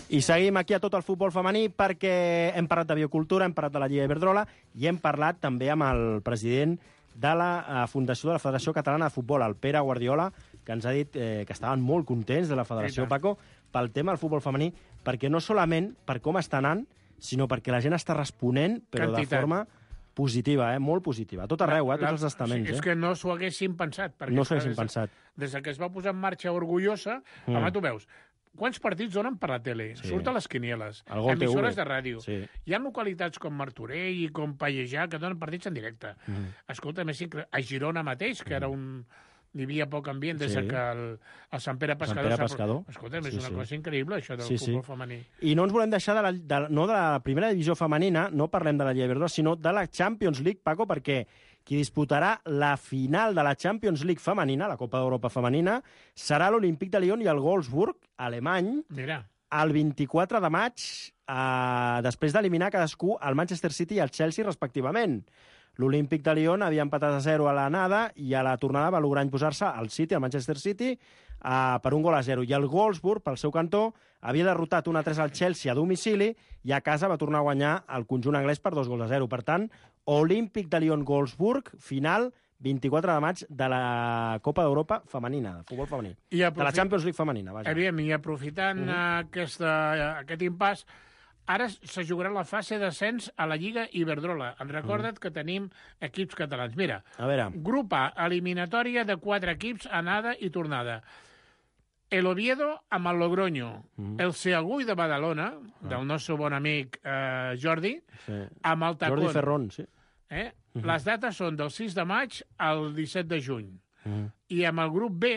I seguim aquí a Tot el futbol femení perquè hem parlat de biocultura, hem parlat de la Lliga Iberdrola i hem parlat també amb el president de la Fundació de la Federació Catalana de Futbol, el Pere Guardiola, que ens ha dit que estaven molt contents de la Federació, Paco, pel tema del futbol femení, perquè no solament per com està anant, sinó perquè la gent està responent, però de forma positiva, molt positiva. A tot arreu, tots els estaments. És que no s'ho haguessin pensat. No s'ho haguessin pensat. Des que es va posar en marxa Orgullosa, home, tu veus, quants partits donen per la tele? Sí. Surt a les quinieles, emissores de ràdio. Sí. Hi ha localitats com Martorell i com Pallejà que donen partits en directe. Escolta, a Girona mateix, que era hi havia poc ambient des que el Sant Pere Pescador. Escolta, és una cosa increïble, això del futbol femení. I no ens volem deixar no de la primera divisió femenina, no parlem de la Lliga Iberdrola, sinó de la Champions League, Paco, perquè qui disputarà la final de la Champions League femenina, la Copa d'Europa femenina, serà l'Olímpic de Lyon i el Wolfsburg, alemany, el 24 de maig, després d'eliminar cadascú el Manchester City i el Chelsea, respectivament. L'Olímpic de Lyon havia empatat a 0 a l'anada i a la tornada va lograr imposar-se al City, al Manchester City, per 1-0. I el Wolfsburg, pel seu cantó, havia derrotat 1-3 al Chelsea a domicili i a casa va tornar a guanyar el conjunt anglès per 2-0. Per tant, Olímpic de Lyon-Wolfsburg, final 24 de maig de la Copa d'Europa femenina, de futbol femení. De la Champions League femenina, vaja. I aprofitant aquest impàs, ara se jugarà la fase d'ascens a la Lliga Iberdrola. Recorda't que tenim equips catalans. Mira, grup A, eliminatòria de 4 equips, anada i tornada. El Oviedo amb el Logroño, el Seagull de Badalona, del nostre bon amic Jordi, amb el Tacón. Jordi Ferrón, sí. Les dates són del 6 de maig al 17 de juny. I amb el grup B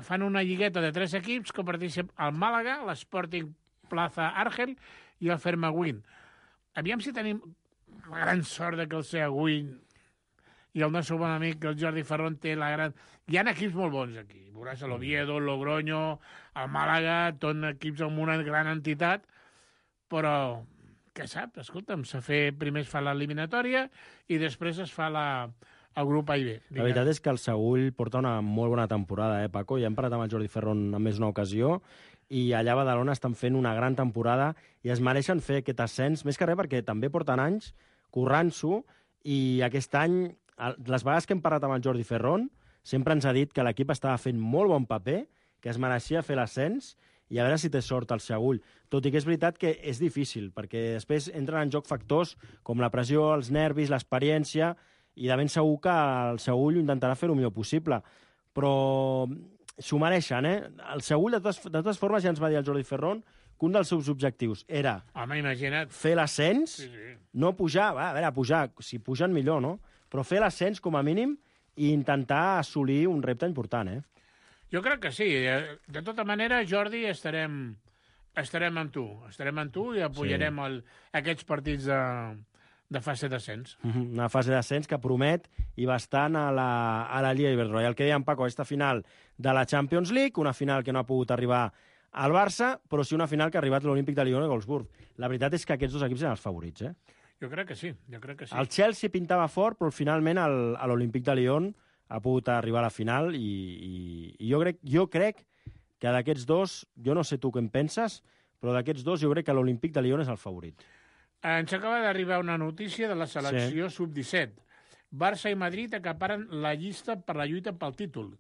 fan una lligueta de 3 equips que participen el Màlaga, l'Sporting Plaza Argel i el Fermaguin. Aviam si tenim la gran sort de que el Seagull i el nostre bon amic, el Jordi Ferrón, té la gran... Hi ha equips molt bons aquí. Veuràs l'Oviedo, el Logroño, el Màlaga, tot equips amb una gran entitat, però, què sap? Escolta'm, primer es fa l'eliminatòria i després es fa el grup A i B. La veritat és que el Seagull porta una molt bona temporada, Paco? Ja hem parlat amb el Jordi Ferrón en més d'una ocasió i allà a Badalona estan fent una gran temporada i es mereixen fer aquest ascens, més que res perquè també porten anys currant-s'ho i aquest any, les vegades que hem parlat amb el Jordi Ferrón, sempre ens ha dit que l'equip estava fent molt bon paper, que es mereixia fer l'ascens i a veure si té sort el Seagull. Tot i que és veritat que és difícil, perquè després entren en joc factors com la pressió, els nervis, l'experiència, i de ben segur que el Seagull intentarà fer el millor possible. Però s'ho mereixen, El Seagull, de totes formes, ja ens va dir el Jordi Ferrón que un dels seus objectius era fer l'ascens, no pujar, a veure, pujar, si pugen millor, no? Però fer l'ascens com a mínim i intentar assolir un repte important, Jo crec que sí. De tota manera, Jordi, estarem amb tu. Estarem amb tu i apoyarem aquests partits de fase d'ascens. Una fase d'ascens que promet i bastant a la Lliga Iberdrola. I el que dèiem, Paco, aquesta final de la Champions League, una final que no ha pogut arribar al Barça, però sí una final que ha arribat l'Olímpic de Lyon i Wolfsburg. La veritat és que aquests dos equips eren els favorits, Jo crec que sí. El Chelsea pintava fort, però finalment l'Olímpic de Lyon ha pogut arribar a la final i jo crec que d'aquests dos, jo no sé tu què en penses, però d'aquests dos jo crec que l'Olímpic de Lyon és el favorit. Ens acaba d'arribar una notícia de la selecció sub-17. Barça i Madrid acaparen la llista per la lluita pel títol.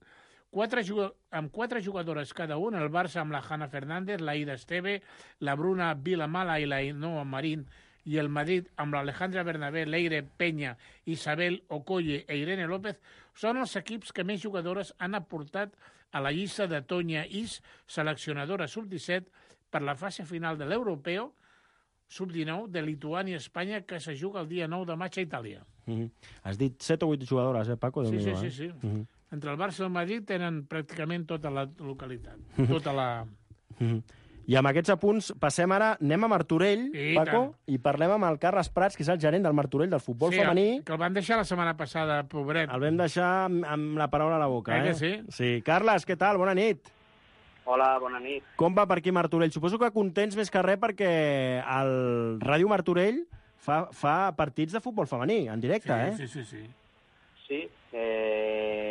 Amb 4 jugadores cada un, el Barça amb la Hanna Fernández, la Ida Esteve, la Bruna Vilamala i la Ainhoa Marín, i el Madrid amb l'Alejandra Bernabé, Leire Peña, Isabel Okoye i Irene López són els equips que més jugadores han aportat a la llista de Tonya Is, seleccionadora sub-17, per la fase final de l'Europeu sub-19 de Lituània i Espanya, que se juga el dia 9 de maig a Itàlia. Has dit 7 o 8 jugadores, Paco? Sí. Entre el Barça i el Madrid tenen pràcticament tota la localitat. I amb aquests apunts passem ara, anem a Martorell, Paco, i parlem amb el Carles Prats, que és el gerent del Martorell, del futbol femení. Que el van deixar la setmana passada, pobret. El vam deixar amb la paraula a la boca, que sí? Sí. Carles, què tal? Bona nit. Hola, bona nit. Com va per aquí Martorell? Suposo que contents més que res perquè el Ràdio Martorell fa partits de futbol femení, en directe, Sí. Sí,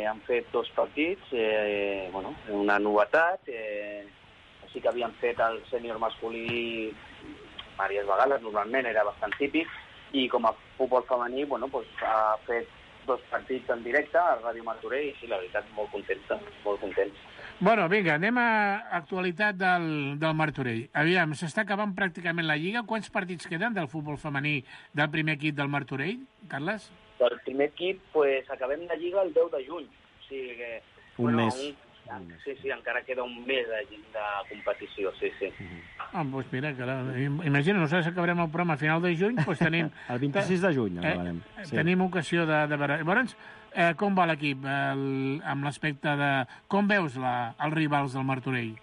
han fet 2 partits, una novetat, sí que havien fet el sènior masculí diverses vegades, normalment era bastant típic, i com a futbol femení ha fet 2 partits en directe a Ràdio Martorell i sí, la veritat, molt contents. Bueno, vinga, anem a actualitat del Martorell. Aviam, s'està acabant pràcticament la Lliga. Quants partits queden del futbol femení del primer equip del Martorell, Carles? Del primer equip, acabem la Lliga el 10 de juny. O sigui que... Un mes. Sí, encara queda un mes de competició, sí. Doncs mira, imagina, nosaltres acabarem el programa a final de juny, doncs tenim... El 26 de juny acabarem. Tenim ocasió de veure... Llavors, com va l'equip amb l'aspecte de... Com veus els rivals del Martorell?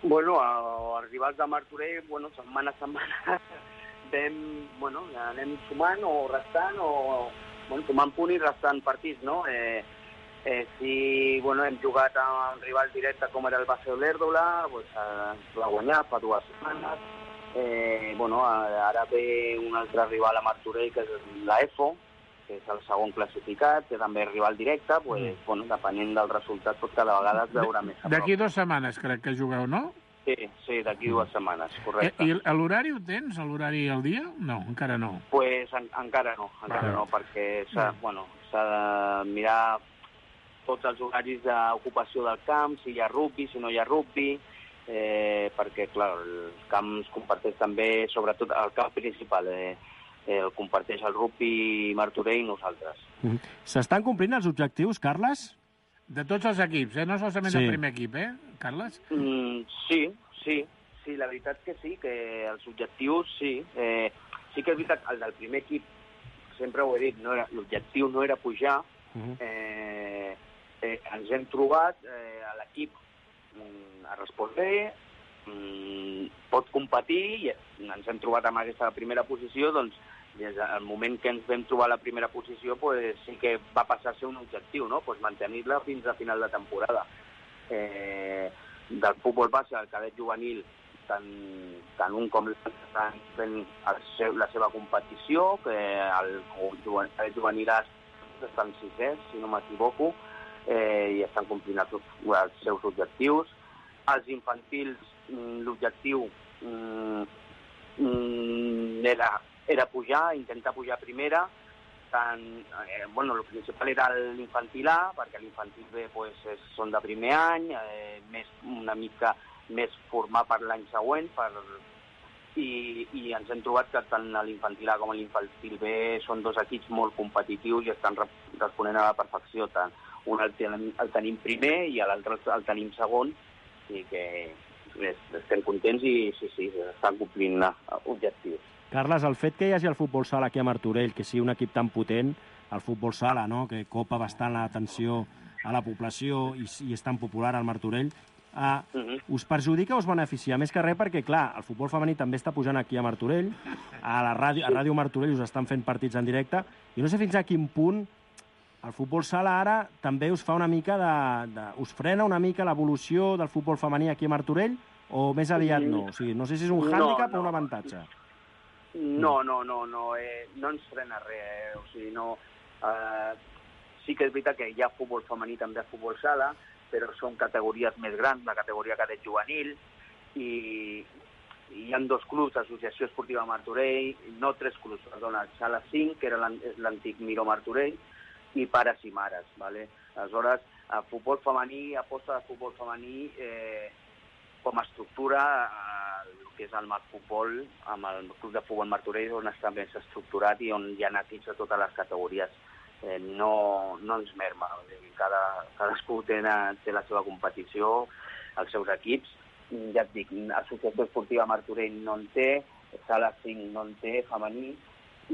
Els rivals del Martorell, setmana a setmana anem sumant o restant sumant punt i restant partits, no? Sí, hem jugat amb un rival directe com era el Base Olèrdola, va guanyar fa 2 setmanes. Ara ve un altre rival a Martorell, que és la EFO, que és el segon classificat, que també és rival directe, depenent del resultat, cada vegada es veurà més a prop. D'aquí 2 setmanes crec que jugueu, no? Sí, d'aquí 2 setmanes, correcte. I l'horari ho tens, l'horari al dia? No, encara no. Encara no, perquè s'ha de mirar tots els horaris d'ocupació del camp, si hi ha rugby, si no hi ha rugby, perquè, clar, els camps comparteix també, sobretot el camp principal, el comparteix el rugby Martorell i nosaltres. S'estan complint els objectius, Carles? De tots els equips, no solament del primer equip, Carles? Sí, la veritat que sí, que els objectius sí. Sí que és veritat, el del primer equip, sempre ho he dit, l'objectiu no era pujar, ens hem trobat, l'equip ha respòs bé, pot competir, i ens hem trobat amb aquesta primera posició, doncs des del moment que ens vam trobar a la primera posició sí que va passar a ser un objectiu, no? Mantenir-la fins a final de temporada. Del futbol base al cadet juvenil, tant un com l'altre estan fent la seva competició, que el cadet juvenil estan 6è, si no m'equivoco, i estan complint els seus objectius. Els infantils, l'objectiu era pujar, intentar pujar a primera. El principal era l'infantil A, perquè l'infantil B són de primer any, una mica més formar per l'any següent, i ens hem trobat que tant l'infantil A com l'infantil B són 2 equips molt competitius i estan responent a la perfecció. Un el tenim primer i l'altre el tenim segon, i que estem contents i sí, estan complint objectius. Carles, el fet que hi hagi el futbol sala aquí a Martorell, que sigui un equip tan potent, el futbol sala, no?, que copa bastant l'atenció a la població i és tan popular al Martorell, us perjudica o us beneficia? Més que res perquè, clar, el futbol femení també està pujant aquí a Martorell, a Ràdio Martorell us estan fent partits en directe, i no sé fins a quin punt el futbol sala ara també us fa una mica us frena una mica l'evolució del futbol femení aquí a Martorell, o més aviat no? O sigui, no sé si és un hàndicap o un avantatge. No ens frena res, o sigui, no... Sí que és veritat que hi ha futbol femení també a futbol sala, però són categories més grans, la categoria cadet juvenil, i hi ha 2 clubs, Associació Esportiva Martorell, no 3 clubs, perdona, Sala 5, que és l'antic Miró Martorell, i pares i mares, ¿vale? Aleshores, el futbol femení, aposta de futbol femení com a estructura, el que és el Marfutbol, amb el Club de Futbol Martorell, on està més estructurat i on hi ha equips de totes les categories. No ens merma, cadascú té la seva competició, els seus equips, ja et dic, Associació Esportiva Martorell no en té, Sala 5 no en té, femení,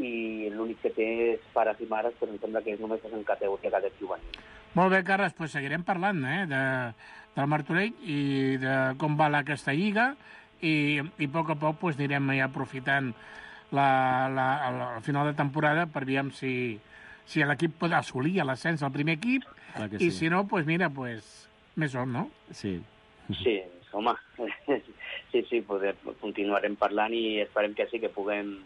i l'únic que té és pares i mares, però em sembla que només és en categoria cadet juvenil. Molt bé, Carles, doncs seguirem parlant del Martorell i de com va aquesta lliga i a poc anirem ja aprofitant al final de temporada per veure si l'equip pot assolir l'ascens al primer equip i si no, més on, no? Sí. Sí, home, sí, continuarem parlant i esperem que sí, que puguem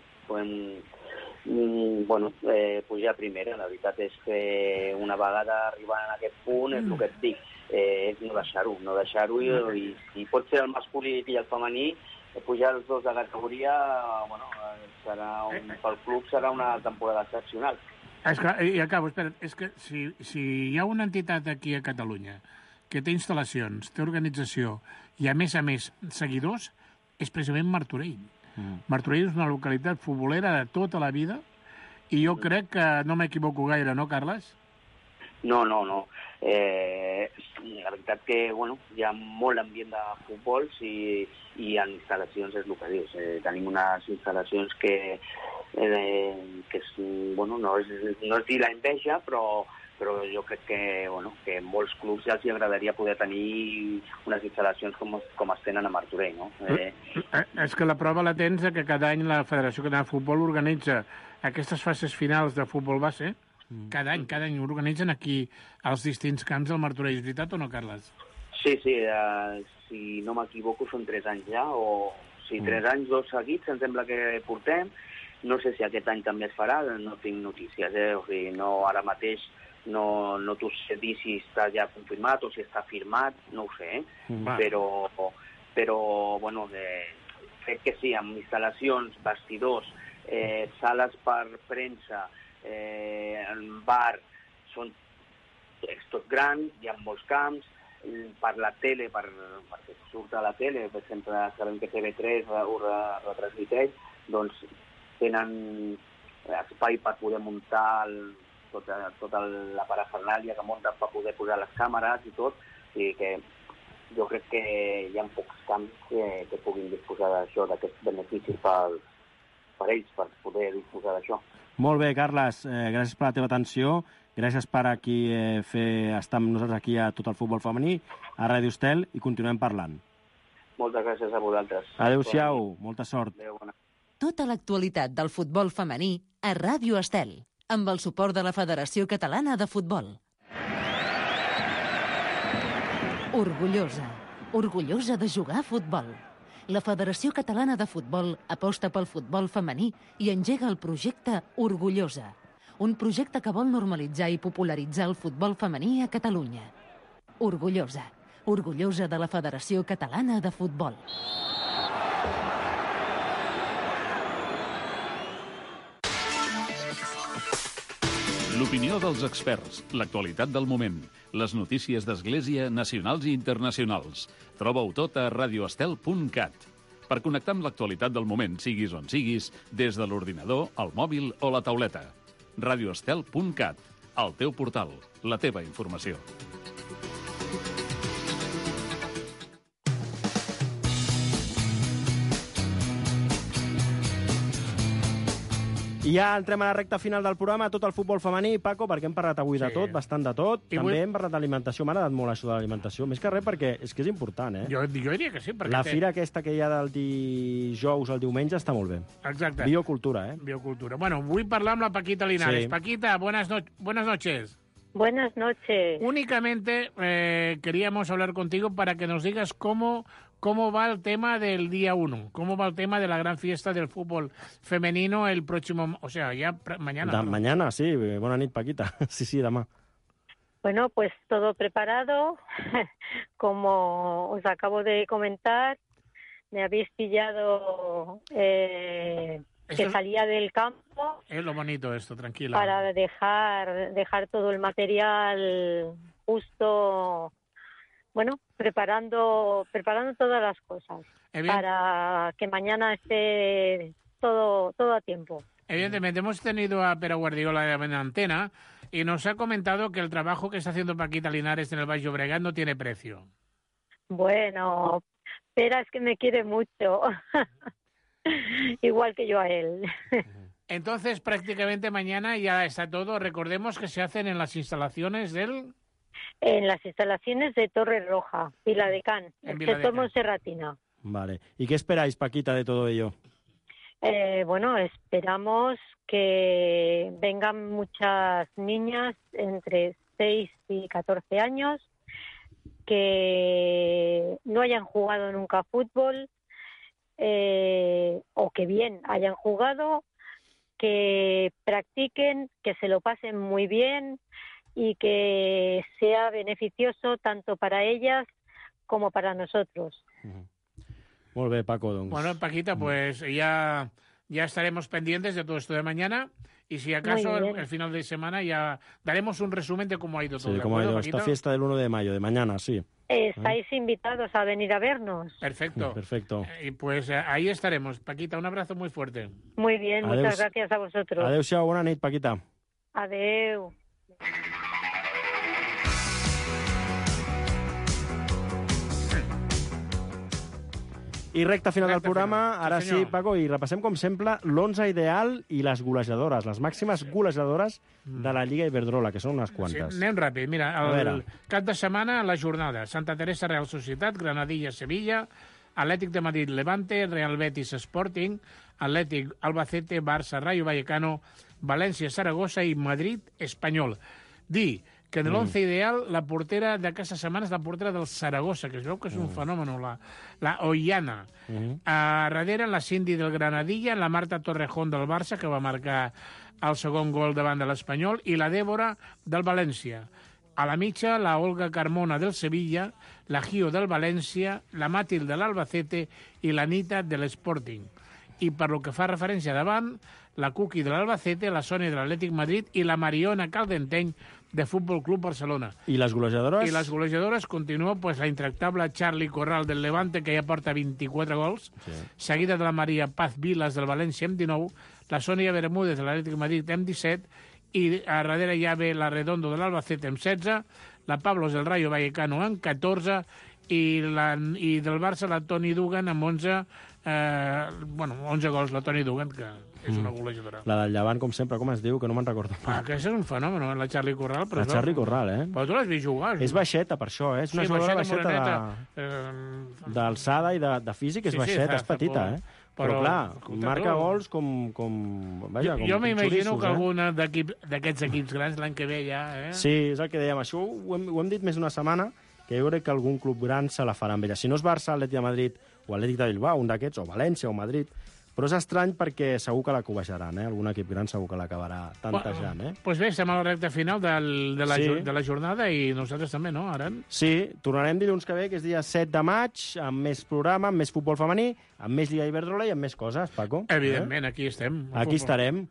pujar a primera. La veritat és que una vegada arribant a aquest punt, és el que et dic, és no deixar-ho i si pot ser el masculí i el femení, pujar els dos de categoria, pel club serà una temporada excepcional. I acabo, espera't, és que si hi ha una entitat aquí a Catalunya que té instal·lacions, té organització i a més seguidors, és precisament Martorell. Martorell és una localitat futbolera de tota la vida i jo crec que no m'equivoco gaire, no, Carles? No. La veritat que hi ha molt ambient de futbol i en instal·lacions és el que dius. Tenim unes instal·lacions que no és dir l'enveja, però jo crec que molts clubs ja els agradaria poder tenir unes instal·lacions com es tenen a Martorell, no? És que la prova la tens que cada any la Federació Catalana de Futbol organitza aquestes fases finals de futbol base. Cada any organitzen aquí als distints camps del Martorell. És veritat o no, Carles? Sí, si no m'equivoco són 3 anys ja, o 3 anys, 2 seguits, em sembla que portem. No sé si aquest any també es farà, no tinc notícies, o sigui, ara mateix no t'ho sé dir si està ja confirmat o si està firmat, no ho sé, però crec que sí, amb instal·lacions, vestidors, sales per premsa, bar, és tot gran, hi ha molts camps, per la tele, perquè surt a la tele, per exemple, sabem que TV3 ho retransmiteix, doncs tenen espai per poder muntar tota la parafernàlia que munten per poder posar les càmeres i tot, i que jo crec que hi ha pocs camps que puguin disposar d'això, d'aquests beneficis per ells, per poder disposar d'això. Molt bé, Carles, gràcies per la teva atenció, gràcies per estar amb nosaltres aquí a Tot el Futbol Femení, a Ràdio Estel, i continuem parlant. Moltes gràcies a vosaltres. Adéu-siau, molta sort. Adéu, bona. Tota l'actualitat del futbol femení a Ràdio Estel, amb el suport de la Federació Catalana de Futbol. Orgullosa de jugar a futbol. La Federació Catalana de Futbol aposta pel futbol femení i engega el projecte Orgullosa, un projecte que vol normalitzar i popularitzar el futbol femení a Catalunya. Orgullosa de la Federació Catalana de Futbol. L'opinió dels experts, l'actualitat del moment, les notícies d'Església nacionals i internacionals. Troba-ho tot a radioestel.cat. Per connectar amb l'actualitat del moment, siguis on siguis, des de l'ordinador, el mòbil o la tauleta. radioestel.cat, el teu portal, la teva informació. I ja entrem a la recta final del programa, tot el futbol femení, Paco, perquè hem parlat avui de tot, bastant de tot. També hem parlat d'alimentació, m'ha agradat molt això de l'alimentació, més que res perquè és que és important, Jo diria que sí. La fira aquesta que hi ha del dijous al diumenge està molt bé. Exacte. Biocultura, Biocultura. Bueno, vull parlar amb la Paquita Linares. Sí. Paquita, buenas noches. Buenas noches. Únicamente queríamos hablar contigo para que nos digas cómo va el tema del día 1, cómo va el tema de la gran fiesta del fútbol femenino el próximo, o sea, ya mañana. Mañana, sí. Bona nit, Paquita. Sí, demà. Bueno, pues todo preparado. Como os acabo de comentar, me habéis pillado que salía del campo. Es lo bonito esto, tranquila. Para dejar todo el material justo, bueno, preparando todas las cosas para que mañana esté todo a tiempo. Evidentemente, hemos tenido a Pere Guardiola en antena y nos ha comentado que el trabajo que está haciendo Paquita Linares en el Baix Llobregat no tiene precio. Bueno, Pere es que me quiere mucho, igual que yo a él. Entonces, prácticamente mañana ya está todo. Recordemos que se hacen en las instalaciones En las instalaciones de Torre Roja, Viladecans, el sector Monserratina. Vale. ¿Y qué esperáis, Paquita, de todo ello? Bueno, esperamos que vengan muchas niñas entre 6 y 14 años que no hayan jugado nunca fútbol o que bien hayan jugado, que practiquen, que se lo pasen muy bien y que sea beneficioso tanto para ellas como para nosotros. Molt bé, Paco, doncs. Bueno, Paquita, pues ya estaremos pendientes de todo esto de mañana y si acaso el final de semana ya daremos un resumen de cómo ha ido todo. Sí, cómo ha ido esta fiesta del 1 de mayo, de mañana, sí. Estáis invitados a venir a vernos. Perfecto. Perfecto. Y pues ahí estaremos. Paquita, un abrazo muy fuerte. Muy bien, muchas gracias a vosotros. Adéu-siau, bona nit, Paquita. Adeu. I recta final del programa, ara sí, Paco, i repassem, com sempre, l'11 ideal i les golejadores, les màximes golejadores de la Lliga Iberdrola, que són unes quantes. Sí, anem ràpid. Mira, el cap de setmana, la jornada. Santa Teresa, Real Societat, Granadilla, Sevilla, Atlètic de Madrid, Levante, Real Betis, Sporting, Atlètic, Albacete, Barça, Rayo Vallecano, València, Saragossa i Madrid, Espanyol. Dir que en l'11 ideal la portera d'aquesta setmana és la portera del Saragossa, que es veu que és un fenomen, la Ollana. A darrere, la Cindy del Granadilla, la Marta Torrejón del Barça, que va marcar el segon gol davant de l'Espanyol, i la Débora del València. A la mitja, la Olga Carmona del Sevilla, la Gio del València, la Màtil de l'Albacete i la Nita de l'Sporting. I per lo que fa referència davant, la Cuqui de l'Albacete, la Sònia de l'Atlètic Madrid i la Mariona Caldenteny de Futbol Club Barcelona. I les golejadores? I les golejadores continua pues, la intractable Charlie Corral del Levante, que ja porta 24 gols, seguida de la Maria Paz Vilas del València amb 19, la Sònia Bermúdez de l'Atlètic Madrid amb 17, i a darrere ja ve la Redondo de l'Albacete amb 16, la Pablos del Rayo Vallecano amb 14, i del Barça la Toni Dugan amb 11, 11 gols la Toni Dugan, que és una golejadora. La del Llevant, com sempre, com es diu? Que no me'n recordo. Aquesta és un fenomen, la Charlie Corral. La Charlie Corral, Però tu l'has vist jugar. És baixeta, per això, És una jugadora baixeta d'alçada i de físic, és baixeta, és petita, Però clar, marca gols com jo m'imagino que algun d'aquests equips grans l'any que ve ja... Sí, és el que dèiem. Això ho hem dit més d'una setmana, que jo crec que algun club gran se la farà amb ella. Si no és Barça, Atlètic de Madrid o Atlètic de Bilbao, un d'aquests, o València o Madrid, però és estrany perquè segur que la cobejaran, Algun equip gran segur que l'acabarà tantejant, Doncs bé, estem a la recta final de la jornada i nosaltres també, no, Aran? Sí, tornarem dilluns que ve, que és dia 7 de maig, amb més programa, amb més futbol femení, amb més Lliga Iberdrola i amb més coses, Paco. Evidentment, aquí estem. Aquí estarem.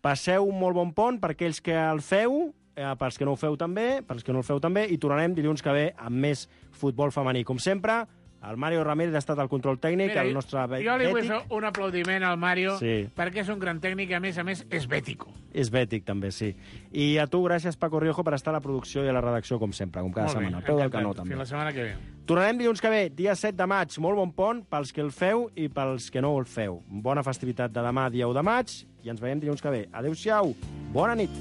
Passeu un molt bon pont per aquells que el feu, pels que no ho feu també, i tornarem dilluns que ve amb més futbol femení. Com sempre, el Mario Ramírez ha estat al control tècnic, el nostre bètic. Jo li vull fer un aplaudiment al Mario, perquè és un gran tècnic i, a més, és bètico. És bètic, també, sí. I a tu, gràcies, Paco Riojo, per estar a la producció i a la redacció, com sempre, com cada setmana. Al peu del canó, també. Fins la setmana que ve. Tornarem dilluns que ve, dia 7 de maig. Molt bon pont pels que el feu i pels que no el feu. Bona festivitat de demà, dia 1 de maig, i ens veiem dilluns que ve. Adéu-siau, bona nit.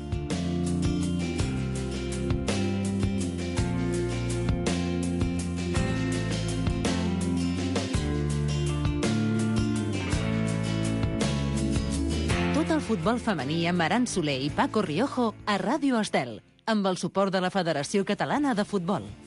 Tot el futbol femení amb Aran Soler i Paco Riojo a Ràdio Estel, amb el suport de la Federació Catalana de Futbol.